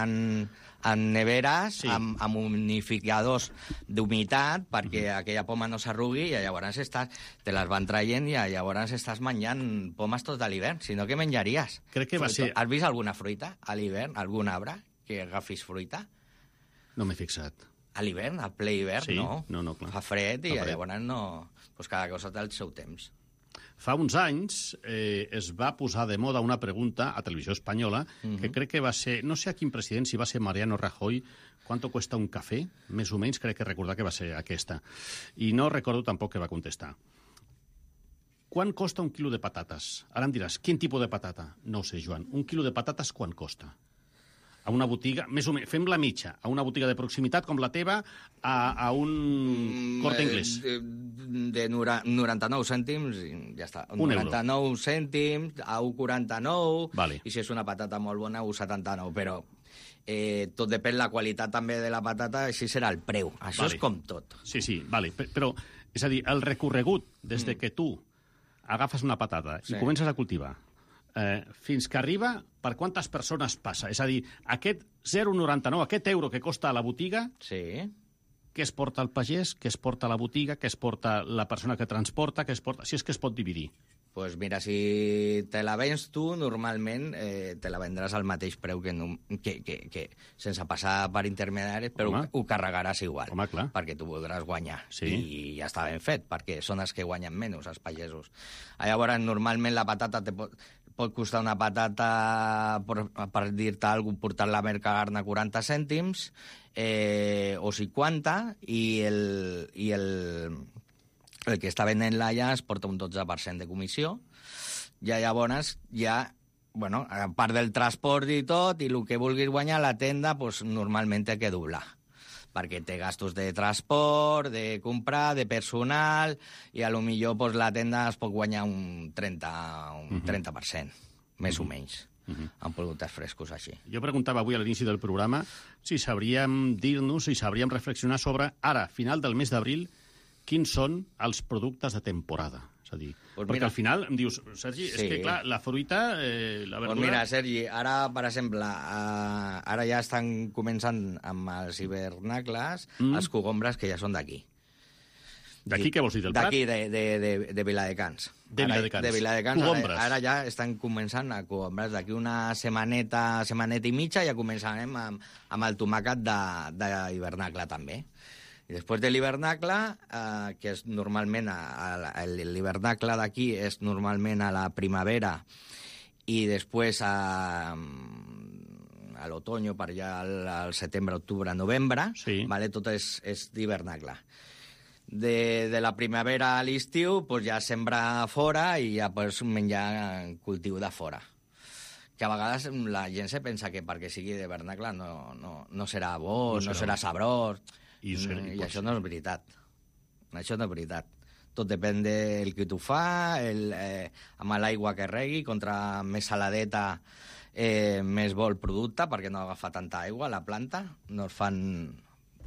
en neveres, amb unificadors d'humitat, perquè aquella poma no s'arrugui, i llavors te les van traient i llavors estàs menjant pomes tot l'hivern. Si no, què menjaries? Crec que va ser... Has vist alguna fruita a l'hivern? Algun arbre que agafis fruita? No m'he fixat. A l'hivern, al ple hivern, no. No, clar. Fa fred i llavors no... Pues cada cosa té el seu temps. Fa uns anys es va posar de moda una pregunta a Televisió Espanyola que crec que va ser, no sé a quin president, si va ser Mariano Rajoy, ¿cuánto cuesta un café? Més o menys crec que recordar que va ser aquesta. I no recordo tampoc que va contestar. Quan costa un quilo de patates? Ara em diràs, quin tipus de patata? No ho sé, Joan. Un quilo de patates quan costa? A una botiga, més o menys, fem la mitja, a una botiga de proximitat com la teva, a un Corte Inglés. De 99 cèntims, ja està. 99 cèntims, a 1,49, vale. I si és una patata molt bona, 1,79, però tot depèn la qualitat també de la patata, així serà el preu. Això és com tot. Sí, vale. Però, és a dir, el recorregut des de que tu agafes una patata i comences a cultivar, fins que arriba, per quantes persones passa? És a dir, aquest 0,99, aquest euro que costa a la botiga, què es porta al pagès, què es porta a la botiga, què es porta la persona que transporta, què es porta... Si és que es pot dividir. Pues mira, si te la vens tu, normalment te la vendràs al mateix preu que sense passar per intermediaris, però ho carregaràs igual. Home, clar. Perquè tu voldràs guanyar. I ja està ben fet, perquè són els que guanyen menys, els pagesos. Llavors, normalment la patata pot costar una patata, per dir-te alguna cosa, portar-la a Mercagarna 40 cèntims o 50, i el que està venent-la ja es porta un 12% de comissió, i llavors bueno, a part del transport i tot, i el que vulguis guanyar la tenda, pues, normalment té que doblar, perquè té gastos de transport, de comprar, de personal, i a lo millor pues, la tenda es pot guanyar un 30%, més o menys, amb productes frescos així. Jo preguntava avui a l'inici del programa si sabríem dir-nos, si sabríem reflexionar sobre, ara, final del mes d'abril, quins són els productes de temporada? És a dir, perquè al final em dius, Sergi, és que clar, la fruita, la verdura... Doncs mira, Sergi, ara, per exemple, ara ja estan començant amb els hivernacles, els cogombres que ja són d'aquí. D'aquí què vols dir, del Prat? D'aquí, de Viladecans. De Viladecans. De Viladecans. Cogombres. Ara ja estan començant a cogombres. D'aquí una setmaneta i mitja ja començarem amb el tomàquet d'hivernacle també. I després de l'hivernacle, que és normalment, l'hivernacle d'aquí és normalment a la primavera i després a l'otoño, per allà al setembre, octubre, novembre, vale? Tot és d'hivernacle. De la primavera a l'estiu pues ja sembra fora i ja pues, menjar cultiu de fora. Que a vegades la gent se pensa que perquè sigui d'hivernacle no serà bo, no serà sabrós... I això no és veritat. Això no és veritat. Tot depèn del que tu fa, amb l'aigua que regui, contra més saladeta més bo el producte, perquè no agafa tanta aigua la planta. No es fan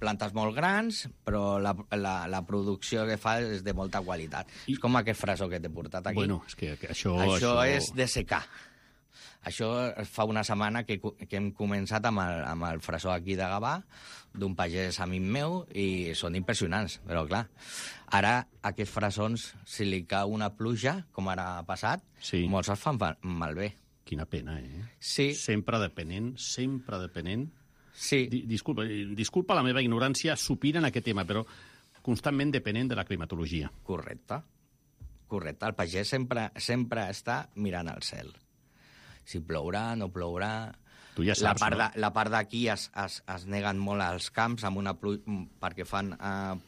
plantes molt grans, però la producció que fa és de molta qualitat. És com aquest frasó que t'he portat aquí. Bueno, és que això és de secar. Això fa una setmana que hem començat amb el frasó aquí de Gavà, d'un pagès amic meu, i són impressionants, però clar, ara aquests frasons, si li cau una pluja, com ara ha passat, molts els fan malbé. Quina pena, Sí. Sempre depenent. Sí. Disculpa la meva ignorància supina en aquest tema, però constantment depenent de la climatologia. Correcte. El pagès sempre està mirant al cel. Si plourà, no plourà... Tu ja saps, la part d'aquí es neguen molt als camps amb perquè fan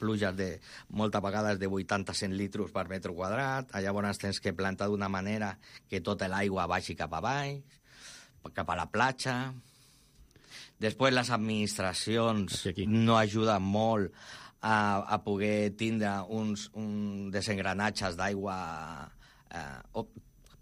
pluges de moltes vegades de 80-100 litres per metre quadrat. Llavors tens que plantar d'una manera que tota l'aigua vagi cap avall, cap a la platja. Després les administracions no ajuden molt a poder tindre un desengranatges d'aigua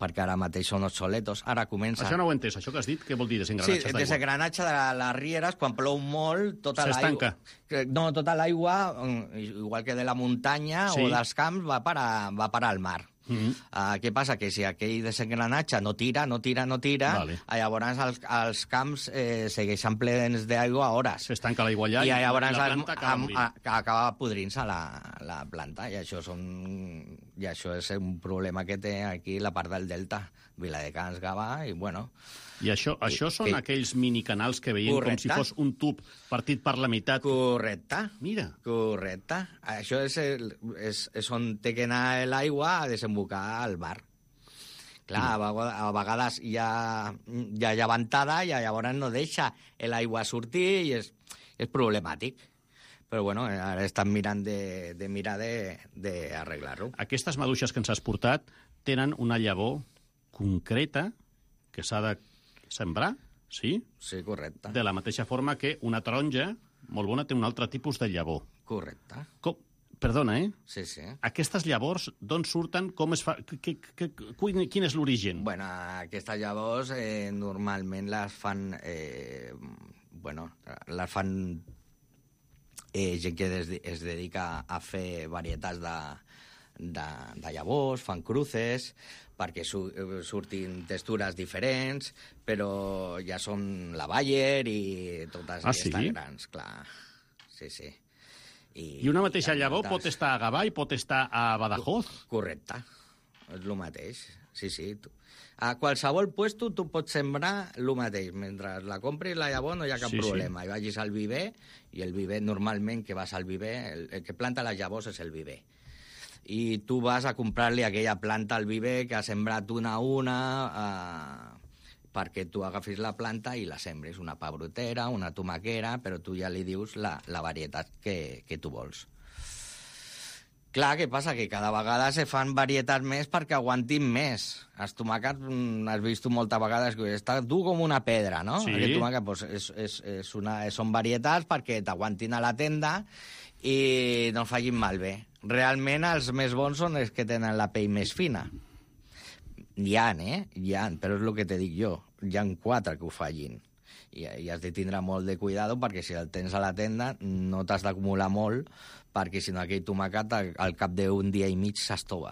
perquè ara mateix són obsoletos. Ara comença... Això no ho he entès. Això que has dit, què vol dir, desengranatges d'aigua? Sí, desengranatge de les rieres, quan plou molt, tota l'aigua... S'estanca. No, tota l'aigua, igual que de la muntanya o dels camps, va parar al mar. Què passa? Que si aquell desengranatge no tira, llavors els camps segueixen plens d'aigua a hores. S'estanca l'aigua allà i llavors la planta acaba podrint-se la planta. I això és un problema que té aquí la part del delta, Viladecans, Gavà, i bueno... I això són aquells minicanals que veiem com si fos un tub partit per la meitat. Correcte. Mira. Correcte. Això és on té que anar l'aigua a desembocar al mar. Clar, a vegades hi ha llevantada i llavors no deixa l'aigua sortir i és problemàtic. Però bueno, ara estan mirant d'arreglar-ho. Aquestes maduixes que ens has portat tenen una llavor concreta que s'ha de sembrar, sí? Sí, correcte. De la mateixa forma que una taronja molt bona té un altre tipus de llavor. Correcte. Perdona, Sí, sí. Aquestes llavors, d'on surten? Com es fa? Quin és l'origen? Bueno, aquestes llavors normalment les fan... les fan gent que es dedica a fer varietats de llavors, fan cruces, perquè surtin textures diferents, però ja són la Bayer i totes aquestes grans, clar. Sí, sí. I una mateixa llavor pot estar a Gavà i pot estar a Badajoz? Correcte, és el mateix, sí, sí. A qualsevol puesto tu pots sembrar el mateix. Mentre la compris la llavor no hi ha cap problema. I vagis al viver, i el viver, normalment que vas al viver, el que planta les llavors és el viver. I tu vas a comprar-li aquella planta al viver que ha sembrat una a una perquè tu agafis la planta i la sembres, una pebrotera, una tomaquera, però tu ja li dius la varietat que tu vols. Clar, què passa? Que cada vegada se fan varietats més perquè aguantin més. Els tomàquets, has vist moltes vegades que està dur com una pedra, no? Sí. Aquest tomàquet doncs, són varietats perquè t'aguantin a la tenda i no facin malbé. Realment els més bons són els que tenen la pell més fina. Hi ha, però és el que te dic jo. Hi ha 4 que ho fallin. I has de tindre molt de cuidado perquè si el tens a la tenda no t'has d'acumular molt perquè si no aquell tomàquet al cap d'un dia i mig s'estova.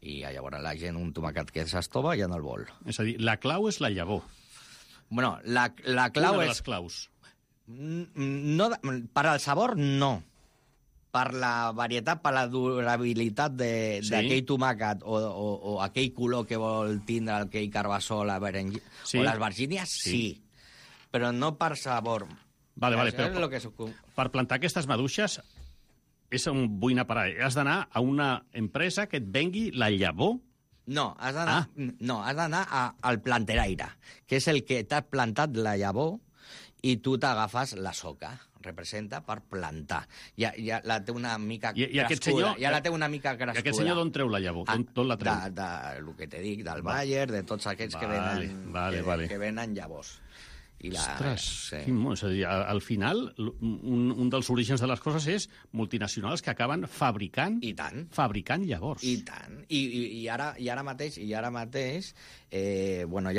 I llavors la gent un tomàquet que s'estova ja no el vol. És a dir, la clau és la llavor. Bueno, la clau Una de és... les claus. No, per al sabor, no. Per la varietat, per la durabilitat d'aquell tomàquet o aquell color que vol tindre aquell carbassó o les vergínies, sí. Però no per sabor. Vale, però per plantar aquestes maduixes és un vull anar a parar. Has d'anar a una empresa que et vengui la llavor? No, has d'anar al planteraire, que és el que t'ha plantat la llavor i tu t'agafes la soca. Representa per plantar. Ja la té una mica crescuda. Ja la té una mica crescuda. I aquest senyor d'on treu la llavor? D'on la treu? El que te dic, del Bayer, de tots aquests que venen que venen llavors. Ostres, és a dir, al final, un dels orígens de les coses és multinacionals que acaben fabricant llavors. I tant. I ara mateix, ja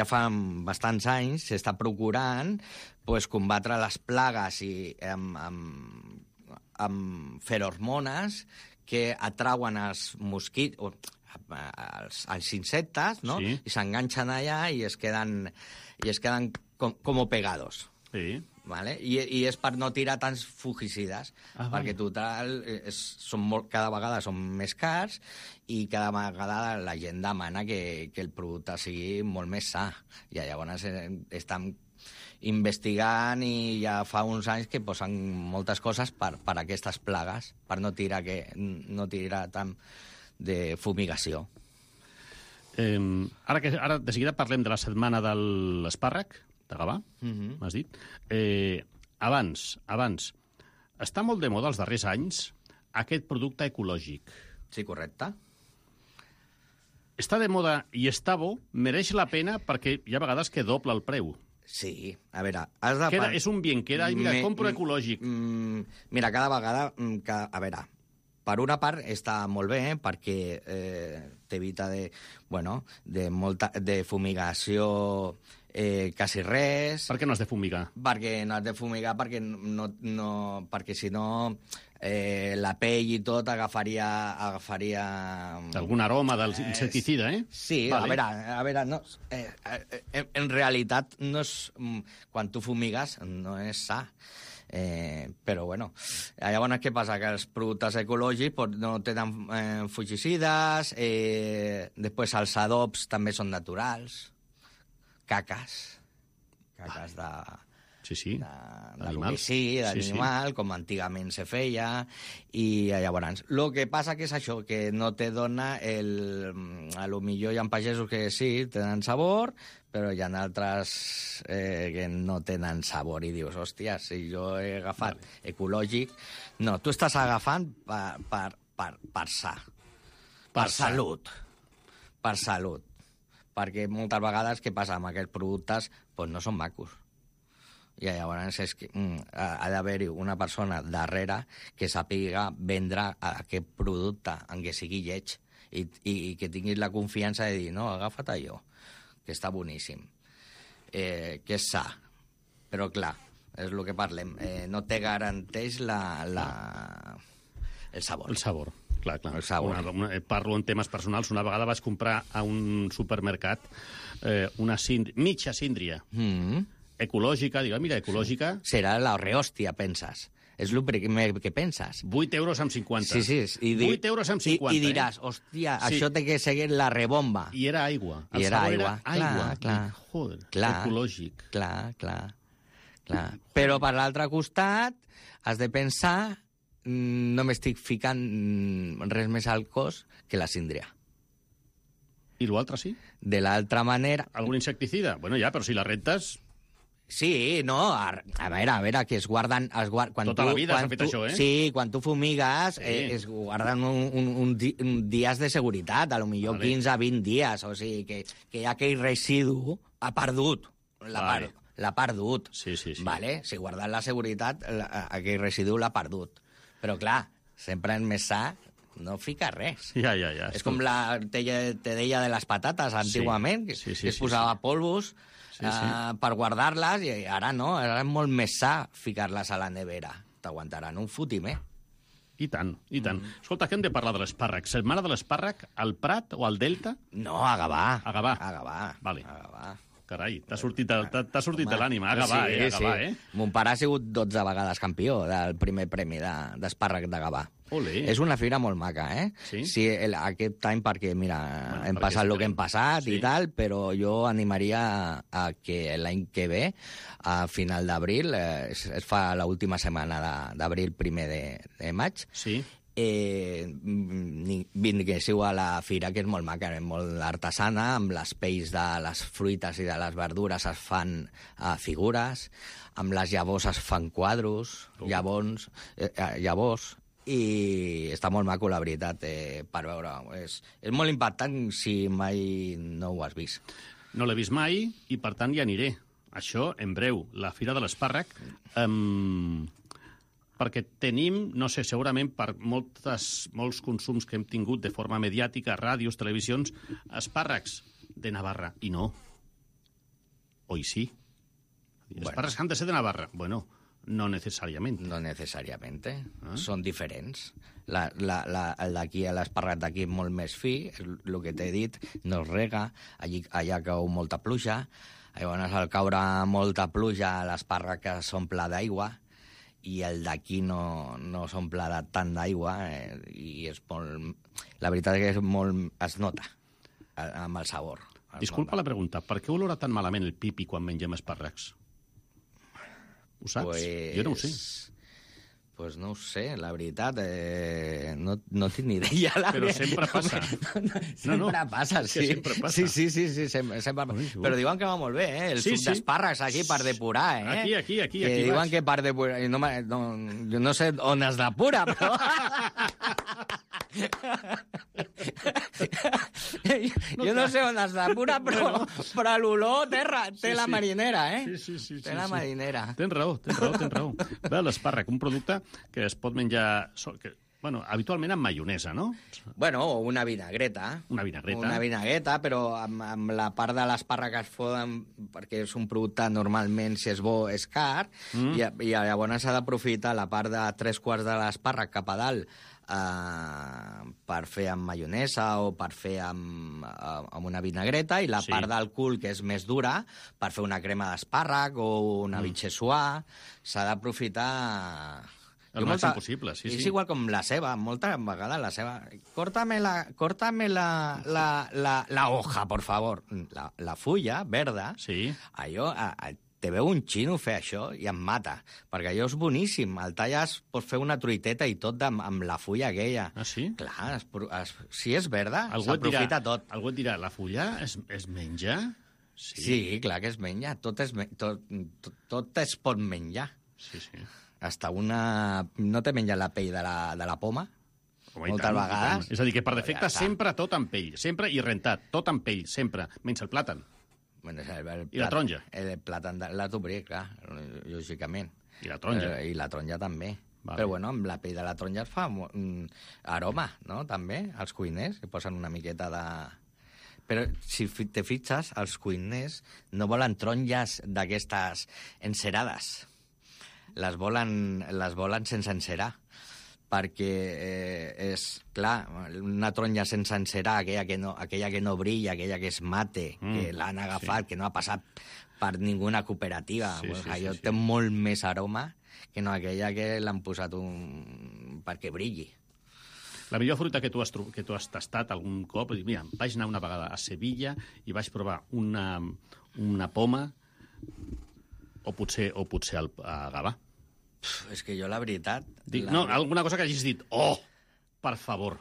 fa bastants anys, s'està procurant combatre les plagues amb ferormones que atrauen els mosquits, els insectes, no? Sí. I s'enganxen allà i es queden como pegados. Sí. vale? I és per no tirar tants fungicides, perquè total cada vegada són més cars i cada vegada la gent demana que el producte sigui molt més sa. I llavors estan investigant i ja fa uns anys que posen moltes coses per aquestes plagues, per no tirar tant de fumigació. Ara de seguida parlem de la setmana de l'espàrrec, de Gavà, m'has dit. Abans, està molt de moda els darrers anys aquest producte ecològic. Sí, correcte. Està de moda i està bo, mereix la pena perquè hi ha vegades que doble el preu. Sí, a veure, has de... És un bien, mira, compro ecològic. Mira, cada vegada... A veure, per una part està molt bé, perquè t'evita de fumigació quasi res. Per què no has de fumigar? Perquè no has de fumigar, perquè si no la pell i tot agafaria... Algun aroma del insecticida, eh? Sí, vale. A veure, no, en realitat no és... Quan tu fumigues no és sa. Però, bueno, llavors què passa? Que els productes ecològics no tenen fungicides, després els adobs també són naturals, caques de... Sí. d'animal, com antigament se feia, i llavors... El que passa que és això, que no te dona a lo millor hi ha pagesos que sí, tenen sabor, però hi ha altres que no tenen sabor, i dius, hòstia, si jo he agafat ecològic... No, tu estàs agafant per sa, per salut, perquè moltes vegades què passa amb aquests productes? Doncs no són macos. I llavors és que ha d'haver-hi una persona darrere que sàpiga vendre aquest producte, en què sigui lleig, i que tinguis la confiança de dir, no, agafa't allò, que està boníssim, que és sa. Però, clar, és el que parlem, no te garanteix el sabor. El sabor, clar. El sabor. Parlo en temes personals. Una vegada vaig comprar a un supermercat una mitja síndria, ecològica, digue, mira, ecològica... Serà la rehòstia, penses. És el primer que penses. 8,50 €. Sí. 8,50 €. I diràs, hòstia, això té que seguir la rebomba. I era aigua. I era aigua. Clar. Joder, ecològic. Clar. Però per l'altre costat has de pensar, no m'estic ficant res més al cos que la síndria. I l'altre sí? De l'altra manera... Algun insecticida? Bueno, ja, però si la rentes... Sí, no, a veure, que es guarden... Tota la vida s'ha fet això, eh? Sí, quan tu fumigues, es guarden un dies de seguretat, a lo millor 15 a 20 dies, o sigui, que aquell residu ha perdut, l'ha perdut. Sí. Vale? Si guarden la seguretat, aquell residu l'ha perdut. Però, clar, sempre és més sa no fica res. Ja. És com te deia de les patates, antigament, que es posava polvos per guardar-les, i ara no, ara és molt més sa ficar-les a la nevera. T'aguantaran un fotimer. I tant. Escolta, que hem de parlar de l'espàrrec. Setmana de l'espàrrec al Prat o al Delta? No, a Gavà. A Gavà. Vale. A Gavà. Carai, t'ha sortit de l'ànima. A Gavà, a Gavà, eh? Mon pare ha sigut 12 vegades campió del primer premi d'espàrrec de Gavà. Olé. És una fira molt maca, eh? Sí, aquest any perquè, mira, hem passat el que hem passat i tal, però jo animaria a que l'any que ve, a final d'abril, es fa l'última setmana d'abril, primer de maig, vinguéssiu a la fira, que és molt maca, molt artesana, amb les pells de les fruites i de les verdures es fan figures, amb les llavors es fan quadros, llavors, i està molt maco, la veritat, per veure. És molt impactant si mai no ho has vist. No l'he vist mai i, per tant, hi aniré. Això, en breu, la Fira de l'Espàrrec, perquè tenim, no sé, segurament per molts consums que hem tingut de forma mediàtica, ràdios, televisions, espàrrecs de Navarra. I no. Oi sí? Espàrrecs han de ser de Navarra. Bueno, no necessàriament. No necessàriament. Són diferents. D'aquí a l'espàrrec d'aquí molt més fi, el que t'he dit, no es rega, allà cau molta pluja, Llavors, al caure molta pluja, l'espàrrec s'omple d'aigua i el d'aquí no s'omple tant d'aigua i és molt... La veritat és que es nota amb el sabor. Disculpa la pregunta, per què olora tan malament el pipi quan mengem espàrrecs? Ho saps? Jo no ho sé. Pues no ho sé, la veritat, no tinc ni idea. Però sempre passa. Sempre passa, sí. Sempre passa. Sí, sempre passa. Però diuen que va molt bé, el suc d'espàrrecs aquí per depurar, Aquí. Que diuen que per depurar... Jo no sé on es depura, però... Jo no sé on es depura, però l'olor té la marinera, Sí. Té la marinera. Tens raó. Bé, l'espàrrec, un producte que es pot menjar... habitualment amb maionesa, no? Bueno, o una vinagreta. Una vinagreta, però amb la part de l'espàrrec que es foden, perquè és un producte normalment, si és bo, és car, i llavors s'ha d'aprofitar la part de 3/4 de l'espàrrec cap a dalt per fer amb maionesa o per fer amb una vinagreta, i la part del cul, que és més dura, per fer una crema d'espàrrec o una vichyssoise. S'ha d'aprofitar... El màxim possible, sí. És igual com la ceba, moltes vegades la ceba... Córtame la hoja, por favor. La fulla verda, allò... Te veu un xino fer això i em mata, perquè allò és boníssim. El talles, pots fer una truiteta i tot amb la fulla aquella. Ah, sí? Clar, si és verda, s'aprofita tot. Algú et dirà, la fulla es menja? Sí, clar que es menja. Tot es pot menjar. Sí. Hasta una... No te menja la pell de la poma? Moltes vegades. És a dir, que per defecte sempre tot amb pell, sempre i rentat, tot amb pell, sempre, menys el plàtan. Bueno, I la taronja. El plàtan l'has d'obrir, clar, lògicament. I la taronja. I la taronja també. Vale. Però, bueno, amb la pell de la taronja es fa aroma, no?, també, els cuiners, que posen una miqueta de... Però, si te fixes, els cuiners no volen taronges d'aquestes encerades. Les volen sense encerar, perquè és, clar, una taronja sense encerar, aquella que no brilla, aquella que és mate, que l'han agafat, que no ha passat per ninguna cooperativa. Allò té molt més aroma que no aquella que l'han posat perquè brilli. La millor fruita que tu has tastat algun cop... Mira, vaig anar una vegada a Sevilla i vaig provar una poma o potser a Gavà. És que jo, la veritat... No, alguna cosa que hagis dit, oh, per favor.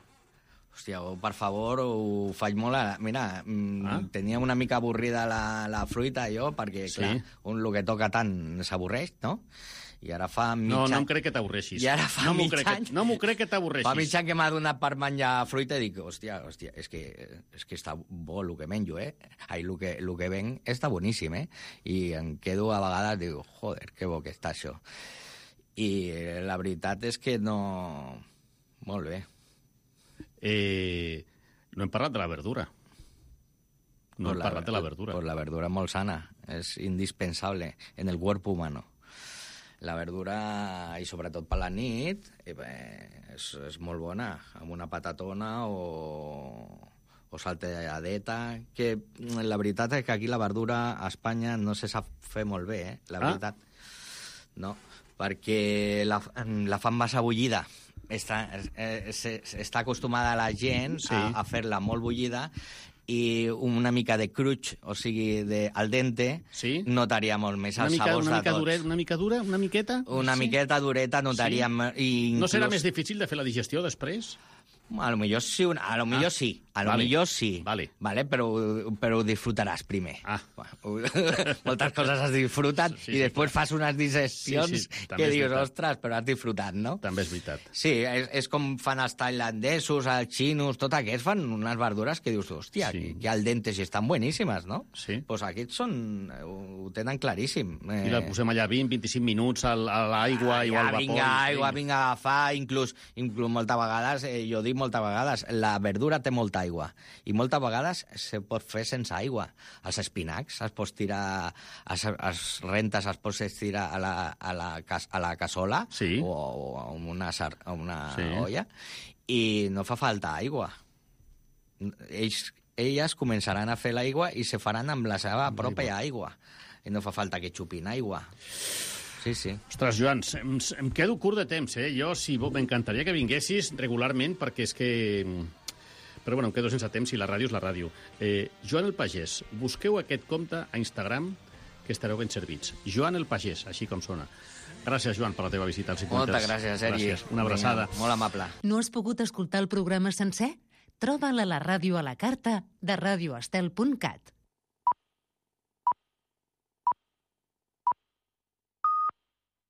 Hòstia, per favor, ho faig molt... Mira, tenia una mica avorrida la fruita, jo, perquè, clar, el que toca tant s'avorreix, no? I ara fa mig any... No em crec que t'avorreixis. I ara fa mig any... No m'ho crec que t'avorreixis. Fa mig any que m'ha donat per menjar fruita i dic, hòstia, és que està bo el que menjo, el que venc està boníssim, I em quedo a vegades, dic, joder, que bo que està això. I la veritat és que no... Molt bé. No hem parlat de la verdura. No hem parlat de la verdura. Pues la verdura és molt sana, és indispensable en el cuerpo humano. La verdura, i sobretot per la nit, és molt bona, amb una patatona o salteadeta, que la veritat és que aquí la verdura a Espanya no se sap fer molt bé, la veritat. No, perquè la fan massa bullida. Està acostumada la gent a fer-la molt bullida, i una mica de cruix, o sigui, al dente, notaria molt més els sabors de tots. Una mica dura, una miqueta? Una miqueta dureta notaríem... No serà més difícil de fer la digestió després? A lo millor sí, vale, però ho disfrutaràs primer. Moltes coses has disfrutat i després fas unes digestions que dius, ostres, però has disfrutat, no? També és veritat. Sí, és com fan els tailandesos, els xinos, tot aquests fan unes verdures que dius, hòstia, que al dente si estan boníssimes, no? Sí. Doncs aquests ho tenen claríssim. I la posem allà 20-25 minuts a l'aigua i al vapor. Vinga a agafar, inclús moltes vegades, jo dic moltes vegades, la verdura té molta aigua i moltes vegades se pot fer sense aigua. Els espinacs es pots tirar, els rentes es pots estirar a la cassola o a una olla i no fa falta aigua. Ells elles començaran a fer l'aigua i se faran amb la seva pròpia aigua. I no fa falta que xupin aigua. Sí, sí. Ostres, Joan, em quedo curt de temps, eh? Jo, m'encantaria que vinguessis regularment, perquè és que... Però bueno, em quedo sense temps i la ràdio és la ràdio. Joan el Pagès, busqueu aquest compte a Instagram que estareu ben servits. Joan el Pagès, així com sona. Gràcies, Joan, per la teva visita als 50. Moltes gràcies, Sergi. Gràcies. Una abraçada. Vinga, molt amable. No has pogut escoltar el programa sencer? Troba'l a la ràdio a la carta de radioestel.cat.